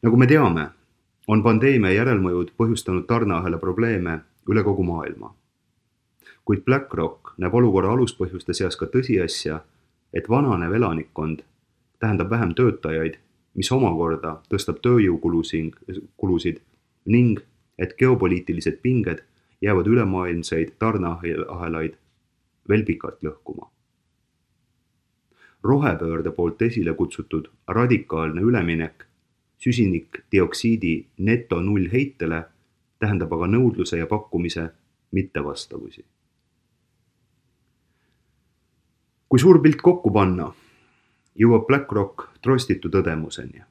Nagu me teame, on pandeemia järelmõjud põhjustanud tarneahela probleeme üle kogu maailma. Kuid BlackRock näeb olukorra aluspõhjuste seas ka tõsiasja, et vananev elanikkond tähendab vähem töötajaid, mis omakorda tõstab tööjõukulusid ning et geopoliitilised pinged jäävad ülemaailmseid tarneahelaid veel pikalt lõhkuma. Rohepöörde poolt esile kutsutud radikaalne üleminek süsinikdioksiidi neto nullheitele tähendab aga nõudluse ja pakkumise mittevastavusi. Kui suur pilt kokku panna, jõuab BlackRock trostitu tõdemuseni.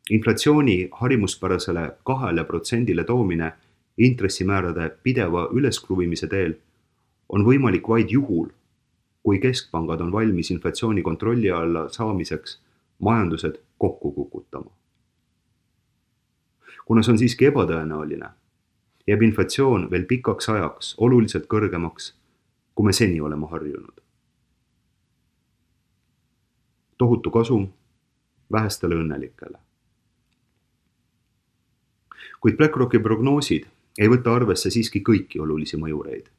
Inflatsiooni harimuspärasele 2% toomine intressimäärade pideva üleskruvimise teel on võimalik vaid juhul, kui keskpangad on valmis inflatsiooni kontrolli alla saamiseks majandused kokku kukutama. Kuna see on siiski ebatõenäoline, jääb inflatsioon veel pikaks ajaks oluliselt kõrgemaks, kui me seni oleme harjunud. Tohutu kasum vähestele õnnelikele. Kuid BlackRocki prognoosid ei võta arvesse siiski kõiki olulisi mõjureid.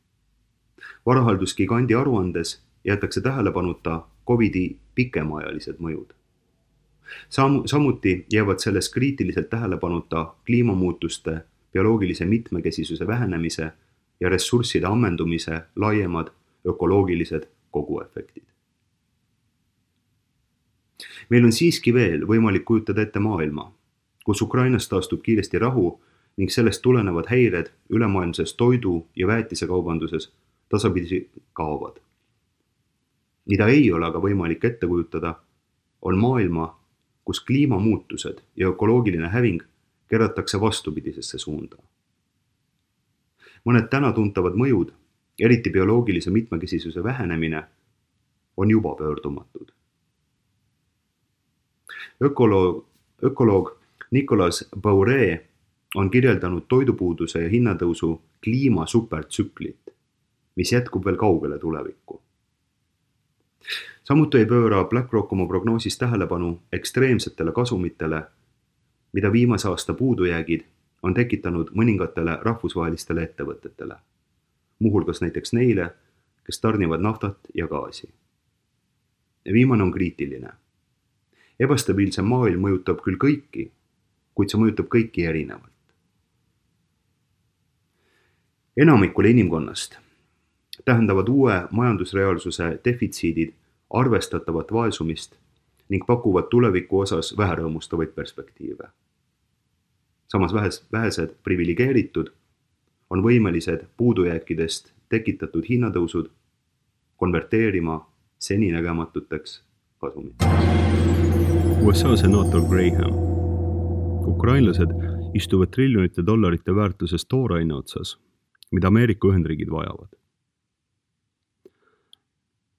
Varahalduskigandi aruandes jäetakse tähelepanuta COVID-i pikemaajalised mõjud. Samuti jäävad selles kriitiliselt tähelepanuta kliimamuutuste, bioloogilise mitmekesisuse vähenemise ja ressursside ammendumise laiemad ökoloogilised koguefektid. Meil on siiski veel võimalik kujutada ette maailma, kus Ukrainas taastub kiiresti rahu ning sellest tulenevad häired ülemaailmses toidu- ja väetisekaubanduses tasapisi kaovad. Mida ei ole aga võimalik ette kujutada, on maailma, kus kliimamuutused ja ökoloogiline häving keratakse vastupidisesse suunda. Mõned täna tuntavad mõjud, eriti bioloogilise mitmekesisuse vähenemine, on juba pöördumatud. Ökoloog Nicolas Baure on kirjeldanud toidupuuduse ja hinnatõusu kliimasupertsüklit, mis jätkub veel kaugele tulevikku. Samuti ei pööra BlackRock oma prognoosis tähelepanu ekstreemsetele kasumitele, mida viimase aasta puudujäägid on tekitanud mõningatele rahvusvahelistele ettevõtetele, muuhulgas näiteks neile, kes tarnivad naftat ja gaasi. Viimane on kriitiline. Ebastabiilse maailm mõjutab küll kõiki, kuid see mõjutab kõiki erinevalt. Enamikule inimkonnast tähendavad uue majandusreaalsuse defitsiidid arvestatavat vaesumist ning pakuvad tuleviku osas väherõõmustavaid perspektiive. Samas vähesed privilegeeritud on võimelised puudujääkidest tekitatud hinnatõusud konverteerima seninägematuteks kasumiteks. USA senaator Graham. Ukrainlased istuvad triljonite dollarite väärtuses tooraine otsas, mida Ameerika Ühendriigid vajavad.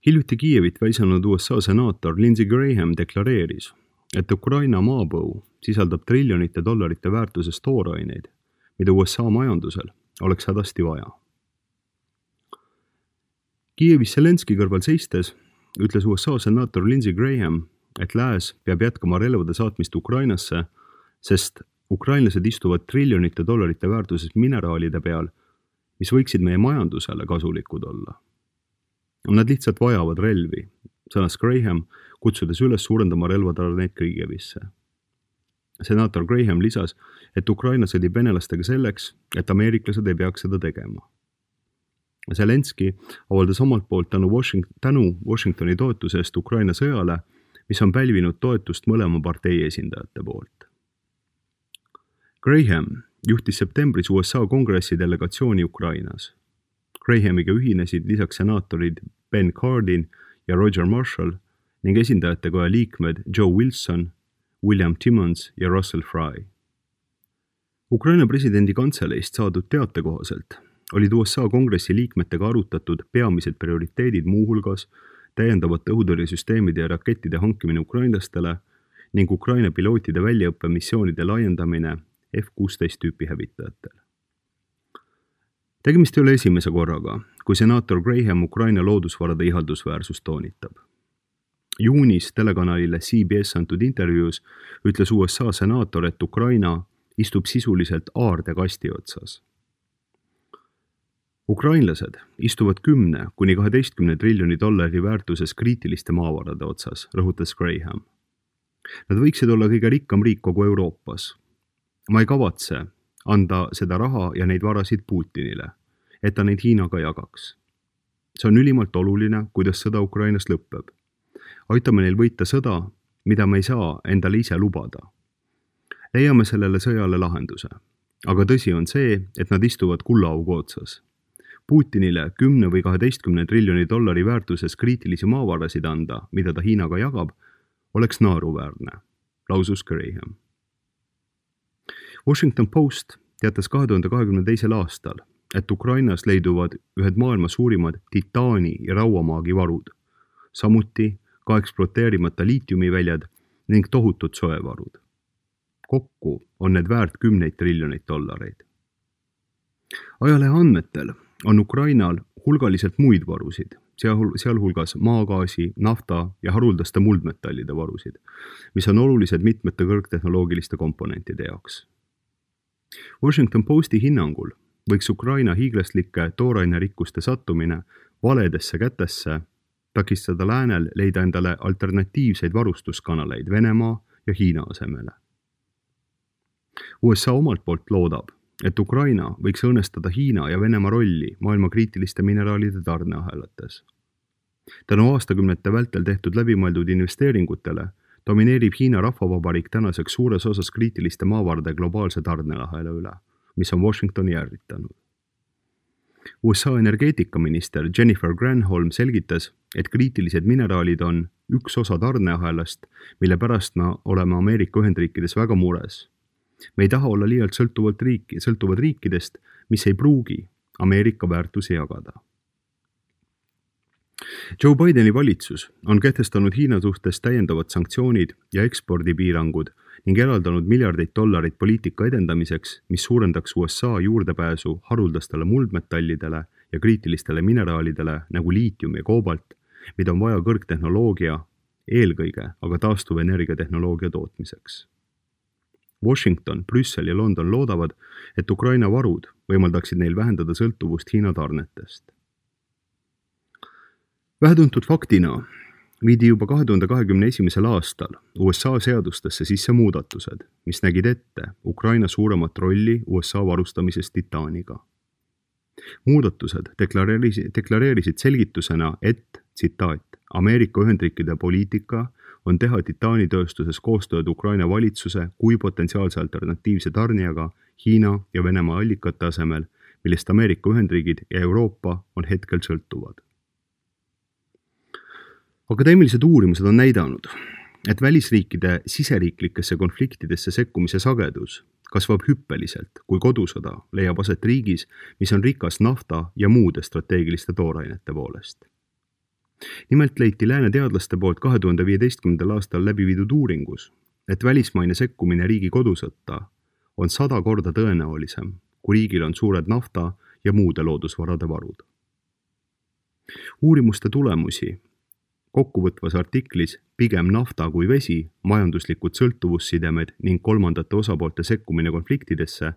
Hiljuti Kiievit väisanud USA senaator Lindsey Graham deklareeris, et Ukraina maapõu sisaldab triljonite dollarite väärtuses tooraineid, mida USA majandusel oleks hädasti vaja. Kiievis Zelenski kõrval seistes ütles USA senaator Lindsey Graham, et lääs peab jätkama relvade saatmist Ukrainasse, sest ukrainlased istuvad triljonite dollarite väärtuses mineraalide peal, mis võiksid meie majandusele kasulikud olla. Nad lihtsalt vajavad relvi, sõnas Graham, kutsudes üles suurendama relvatarneid Kiievisse. Senaator Graham lisas, et Ukraina sõdib venelastega selleks, et ameeriklased ei peaks seda tegema. Zelenski avaldas omalt poolt tänu Washingtoni toetuse eest Ukraina sõjale, mis on pälvinud toetust mõlema partei esindajate poolt. Graham juhtis septembris USA kongressi delegatsiooni Ukrainas. Grahamiga ühinesid lisaks senaatorid Ben Cardin ja Roger Marshall ning esindajatekoja liikmed Joe Wilson, William Timmons ja Russell Fry. Ukraina presidendi kantseleist saadud teate kohaselt olid USA kongressi liikmetega arutatud peamised prioriteedid muuhulgas täiendavate õhutõrjesüsteemide ja rakettide hankimine ukrainlastele ning Ukraina pilootide väljaõppe missioonide laiendamine F-16 tüüpi hävitajatel. Tegemist ei ole esimese korraga, kui senaator Graham Ukraina loodusvarade ihaldusväärsust toonitab. Juunis telekanalile CBS antud intervjuus ütles USA senaator, et Ukraina istub sisuliselt aardekasti otsas. Ukrainlased istuvad 10–12 triljoni dollari väärtuses kriitiliste maavarade otsas, rõhutas Graham. Nad võiksid olla kõige rikkam riik kogu Euroopas. Ma ei kavatse anda seda raha ja neid varasid Putinile, et ta neid Hiinaga jagaks. See on ülimalt oluline, kuidas sõda Ukrainas lõpeb. Aitame neil võita sõda, mida me ei saa endale ise lubada. Leiame sellele sõjale lahenduse. Aga tõsi on see, et nad istuvad kullaaugu otsas. Putinile 10 või 12 triljoni dollari väärtuses kriitilisi maavarasid anda, mida ta Hiinaga jagab, oleks naaruväärne, lausus Graham. Washington Post teatas 2022. aastal, et Ukrainas leiduvad ühed maailma suurimad titaani ja rauamaagi varud, samuti ka ekspluateerimata liitiumiväljad ning tohutud soevarud. Kokku on need väärt 10 triljoneid dollareid. Ajalehe andmetel on Ukrainal hulgaliselt muid varusid, sealhulgas maagaasi, nafta ja haruldaste muldmetallide varusid, mis on olulised mitmete kõrgtehnoloogiliste komponentide jaoks. Washington Posti hinnangul võiks Ukraina hiiglaslike toorainerikkuste sattumine valedesse kätesse takistada läänel leida endale alternatiivseid varustuskanaleid Venemaa ja Hiina asemele. USA omalt poolt loodab, et Ukraina võiks õnnestada Hiina ja Venemaa rolli maailma kriitiliste mineraalide tarneahelates. Tänu aastakümnete vältel tehtud läbimõeldud investeeringutele domineerib Hiina Rahvavabariik tänaseks suures osas kriitiliste maavarade globaalse tarneahela üle, mis on Washingtoni ärritanud. USA energeetikaminister Jennifer Granholm selgitas, et kriitilised mineraalid on üks osa tarneahelast, mille pärast me oleme Ameerika Ühendriikides väga mures. Me ei taha olla liialt sõltuvad riikidest, mis ei pruugi Ameerika väärtusi jagada. Joe Bideni valitsus on kehtestanud Hiina suhtes täiendavad sanktsioonid ja ekspordipiirangud ning eraldanud miljardeid dollareid poliitika edendamiseks, mis suurendaks USA juurdepääsu haruldastele muldmetallidele ja kriitilistele mineraalidele nagu liitium ja koobalt, mida on vaja kõrgtehnoloogia, eelkõige aga taastuvenergiatehnoloogia tootmiseks. Washington, Brüssel ja London loodavad, et Ukraina varud võimaldaksid neil vähendada sõltuvust Hiina tarnetest. Vähetuntud faktina viidi juba 2021. aastal USA seadustesse sisse muudatused, mis nägid ette Ukraina suuremat rolli USA varustamises titaaniga. Muudatused deklareerisid selgitusena, et, tsitaat, Ameerika Ühendriikide poliitika on teha titaanitööstuses koostööd Ukraina valitsuse kui potentsiaalse alternatiivse tarnijaga Hiina ja Venemaa allikate asemel, millest Ameerika Ühendriigid ja Euroopa on hetkel sõltuvad. Akadeemilised uurimused on näidanud, et välisriikide siseriiklikesse konfliktidesse sekkumise sagedus kasvab hüppeliselt, kui kodusõda leiab aset riigis, mis on rikas nafta ja muude strateegiliste toorainete poolest. Nimelt leiti lääne teadlaste poolt 2015. aastal läbi viidud uuringus, et välismaine sekkumine riigi kodusõtta on 100 korda tõenäolisem, kui riigil on suured nafta ja muude loodusvarade varud. Uurimuste tulemusi kokkuvõtvas artiklis Pigem nafta kui vesi, majanduslikud sõltuvussidemed ning kolmandate osapoolte sekkumine konfliktidesse,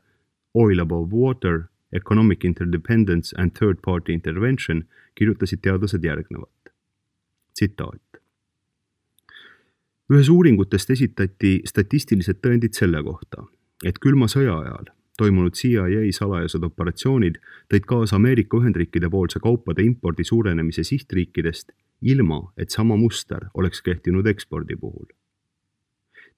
Oil above water, economic interdependence and third-party intervention kirjutasid teadlased järgnevat. Tsitaat. Ühes uuringutest esitati statistilised tõendid selle kohta, et külma sõja ajal toimunud CIA salajased operatsioonid tõid kaasa Ameerika Ühendriikide poolse kaupade impordi suurenemise sihtriikidest, ilma et sama muster oleks kehtinud ekspordi puhul.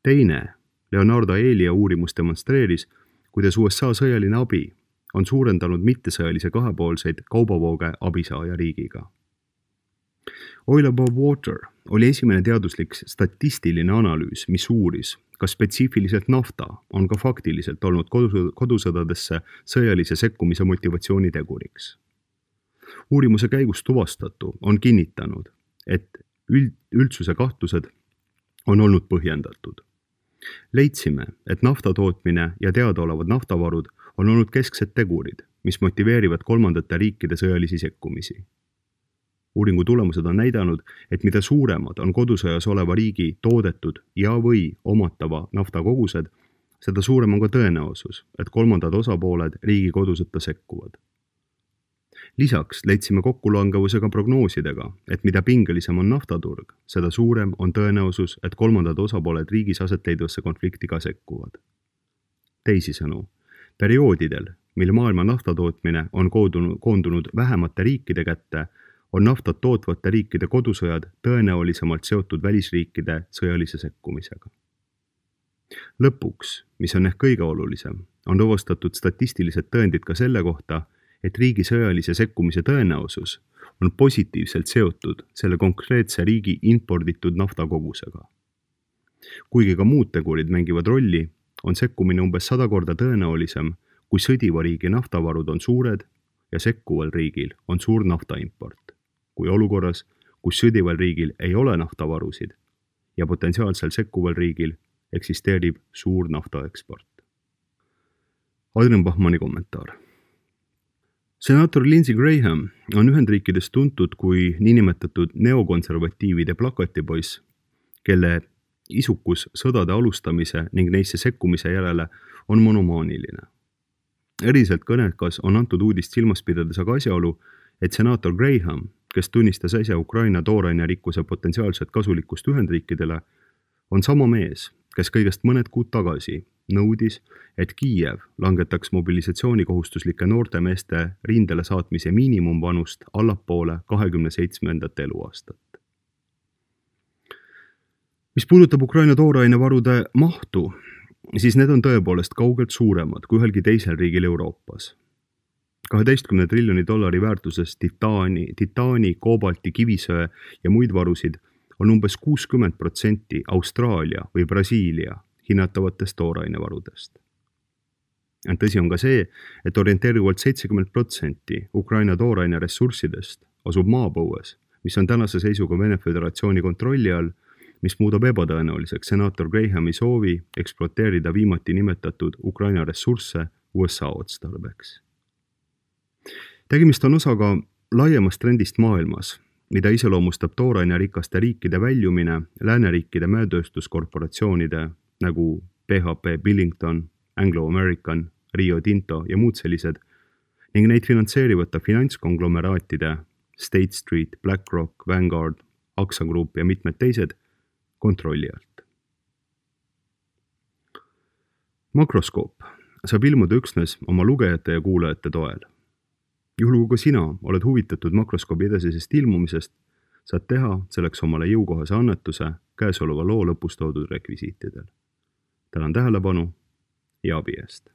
Teine, Leonardo Elia uurimus demonstreeris, kuidas USA sõjaline abi on suurendanud mittesõjalise kahepoolseid kaubavooge abisaaja riigiga. Oil Above Water oli esimene teaduslik statistiline analüüs, mis uuris, kas spetsiifiliselt nafta on ka faktiliselt olnud kodusõdadesse sõjalise sekkumise motivatsiooni teguriks. Uurimuse käigus tuvastatu on kinnitanud, et üldsuse kahtlused on olnud põhjendatud. Leidsime, et nafta tootmine ja teadaolevad naftavarud on olnud kesksed tegurid, mis motiveerivad kolmandate riikide sõjalisi sekkumisi. Uuringu tulemused on näidanud, et mida suuremad on kodusõjas oleva riigi toodetud ja või omatava naftakogused, seda suurem on ka tõenäosus, et kolmandad osapooled riigi kodusõtta sekkuvad. Lisaks leidsime kokkulangevusega prognoosidega, et mida pingelisem on naftaturg, seda suurem on tõenäosus, et kolmandad osapooled riigis asetleidvasse konflikti ka sekkuvad. Teisisõnu, perioodidel, mil maailma naftatootmine on koondunud vähemate riikide kätte, on naftat tootvate riikide kodusõjad tõenäolisemalt seotud välisriikide sõjalise sekkumisega. Lõpuks, mis on ehk kõige olulisem, on tuvastatud statistilised tõendid ka selle kohta, et riigi sõjalise sekkumise tõenäosus on positiivselt seotud selle konkreetse riigi imporditud naftakogusega. Kuigi ka muud tegurid mängivad rolli, on sekkumine umbes 100 korda tõenäolisem, kui sõdiva riigi naftavarud on suured ja sekkuval riigil on suur naftaimport, kui olukorras, kus sõdival riigil ei ole naftavarusid ja potentsiaalsel sekkuval riigil eksisteerib suur naftaeksport. Adrian Bachmanni kommentaar. Senaator Lindsey Graham on Ühendriikides tuntud kui niinimetatud neokonservatiivide plakatipoiss, kelle isukus sõdade alustamise ning neisse sekkumise järele on monomaaniline. Eriselt kõnekas on antud uudist silmas pidades aga asjaolu, et senaator Graham, kes tunnistas äsja Ukraina toorainerikkuse potentsiaalset kasulikkust Ühendriikidele, on sama mees, kes kõigest mõned kuud tagasi nõudis, et Kiiev langetaks mobilisatsioonikohustuslike noorte meeste rindele saatmise miinimumvanust allapoole 27. eluaastat. Mis puudutab Ukraina toorainevarude mahtu, siis need on tõepoolest kaugelt suuremad kui ühelgi teisel riigil Euroopas. 12 triljoni dollari väärtuses titaani, koobalti, kivisöe ja muid varusid on umbes 60% Austraalia või Brasiilia hinnatavatest toorainevarudest. Tõsi on ka see, et orienteerivalt 70% Ukraina tooraine ressurssidest asub maapõues, mis on tänase seisuga Vene Föderatsiooni kontrolli all, mis muudab ebatõenäoliseks senaator Grahami soovi ekspluateerida viimati nimetatud Ukraina ressursse USA otstarbeks. Tegemist on osaga laiemast trendist maailmas, mida iseloomustab toorainerikaste riikide väljumine lääneriikide mäetööstuskorporatsioonide nagu PHP Billington, Anglo-American, Rio Tinto ja muud sellised ning neid finantseerivate finantskonglomeraatide State Street, BlackRock, Vanguard, AXA Group ja mitmed teised kontrolli alt. Makroskoop saab ilmuda üksnes oma lugejate ja kuulajate toel. Juhul kui ka sina oled huvitatud makroskoobi edasisest ilmumisest, saad teha selleks omale jõukohase annetuse käesoleva loo lõpus toodud rekvisiitidel. Tänan tähelepanu ja abi eest.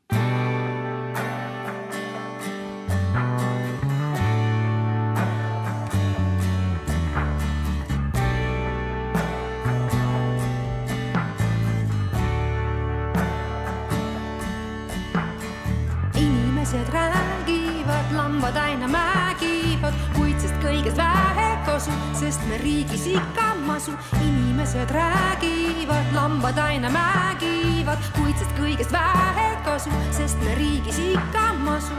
Inimesed räägivad, lambad aina määgivad, kuid sest kõigest vähe kasu, sest me riigis ikka masu. Inimesed räägivad, lambad aina määgivad, kuid sest kõigest vähe kasu, sest me riigis ikka masu.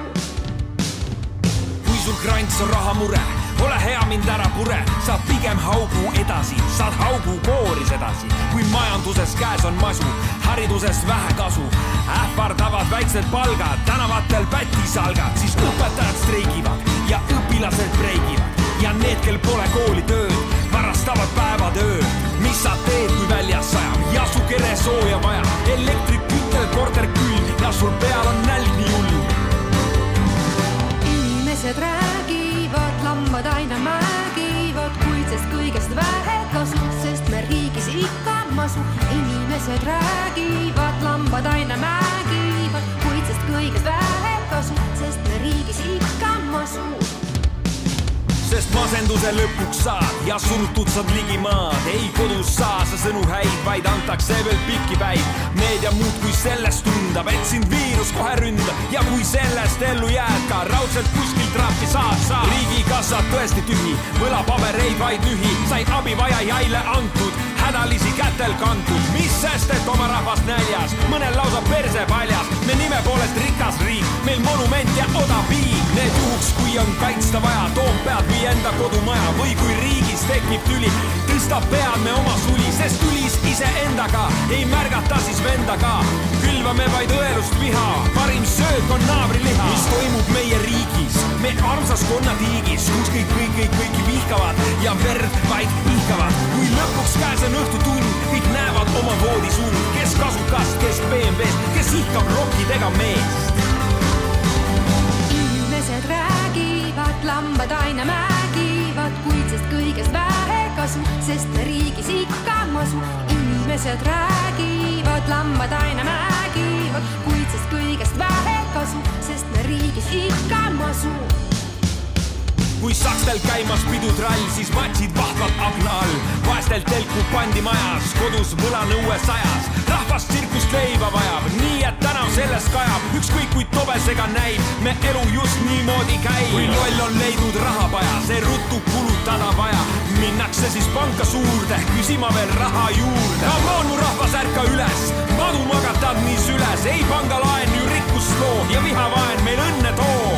Kui sul krants on rahamure, ole hea mind ära pure, saad pigem haugu edasi, saad haugu kooris edasi. Kui majanduses käes on masu, haridusest vähe kasu, ähvardavad väiksed palgad, tänavatel pätisalgad, siis õpetajad streigivad ja õpilased breigivad ja need, kel pole kooli tööd, varastavad päevad ööd. Mis sa teed, kui väljas sajab ja su kere sooja vaja, elektrik kütel, korter külm ja sul peal on nälg nii hull. Inimesed räägivad, lambad aina määgivad, kuid sest kõigest vähe kasu, sest me riigis ikka masu. Inimesed räägivad, lambad aina määgivad, kuid sest kõigest vähe kasu, sest riigis ikka masu. Sest masenduse lõpuks saad ja surtud saad ligimaad. Ei kodus saa sa sõnu häid, vaid antakse veel pikki päid. Meedia muud kui sellest tundab, et sind viirus kohe ründab. Ja kui sellest ellu jääd ka, raudselt kuskil trahvi saad. Riigikassad tõesti tühi, võlapabereid vaid nühi. Said abivajajaile antud, hädalisi kätel kantud. Mis sest, et oma rahvast näljas, mõnel lausa perse paljas. Me nime poolest rikas riik, meil monument ja odav viik. Need juhuks, kui on kaitsta vaja, Toompead või enda kodumaja. Või kui riigis tekib tüli, tõstab pead me oma suli. Sest tülis iseendaga, ei märgata siis vendaga. Külvame vaid õelust viha, parim söök on naabriliha. Mis toimub meie riigis, me armsas konnatiigis, kus kõiki vihkavad ja verd vaid ihkavad. Kui lõpuks käes on õhtutund, kõik näevad oma voodisund. Kes kasukast, kes BMW-st, kes ihkab rokkidega meest. Inimesed räägivad, lambad aina määgivad, kuid sest kõigest vähe kasu, sest me riigis ikka masu. Inimesed räägivad, lambad aina määgivad, kuid sest kõigest vähe kasu, sest me riigis ikka masu. Kui sakstel käimas pidutrall, siis matsid vahvad akna all. Vaestel telku pandi majas, kodus võlanõue sajas. Rahvast tsirkust leiba vajab, nii et tänav sellest kajab. Ükskõik kui tobesega näib, me elu just niimoodi käib. Kui loll on leidnud rahapaja, see ruttu kulutada vaja. Minnakse siis panka suurde, küsima veel raha juurde. Come on, mu rahvas, ärka üles, madu magatad nii süles. Ei pangalaen ju rikkust loo ja vihavaen meil õnne too.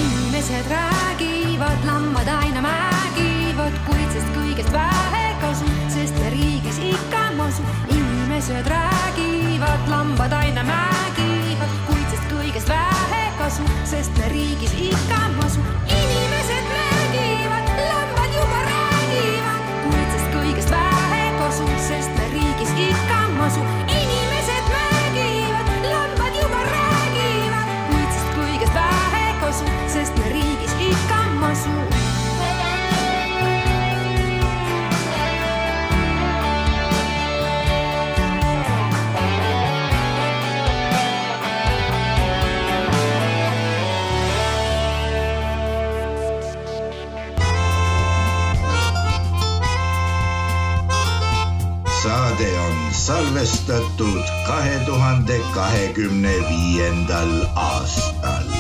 Inimesed räägivad, lambad aina määgivad, kuid sest kõigest vähe kasu, sest me riigis ikka masu. Inimesed räägivad, lambad aina määgivad, kuid sest kõigest vähe kasu, sest me riigis ikka masu. Inimesed räägivad, lambad juba räägivad, kuid sest kõigest vähe kasu, sest me riigis ikka masu. Inimesed räägivad, lambad juba räägivad, kuid sest kõigest vähe kasu, sest me riigis ikka masu. Saade on salvestatud 2025. aastal.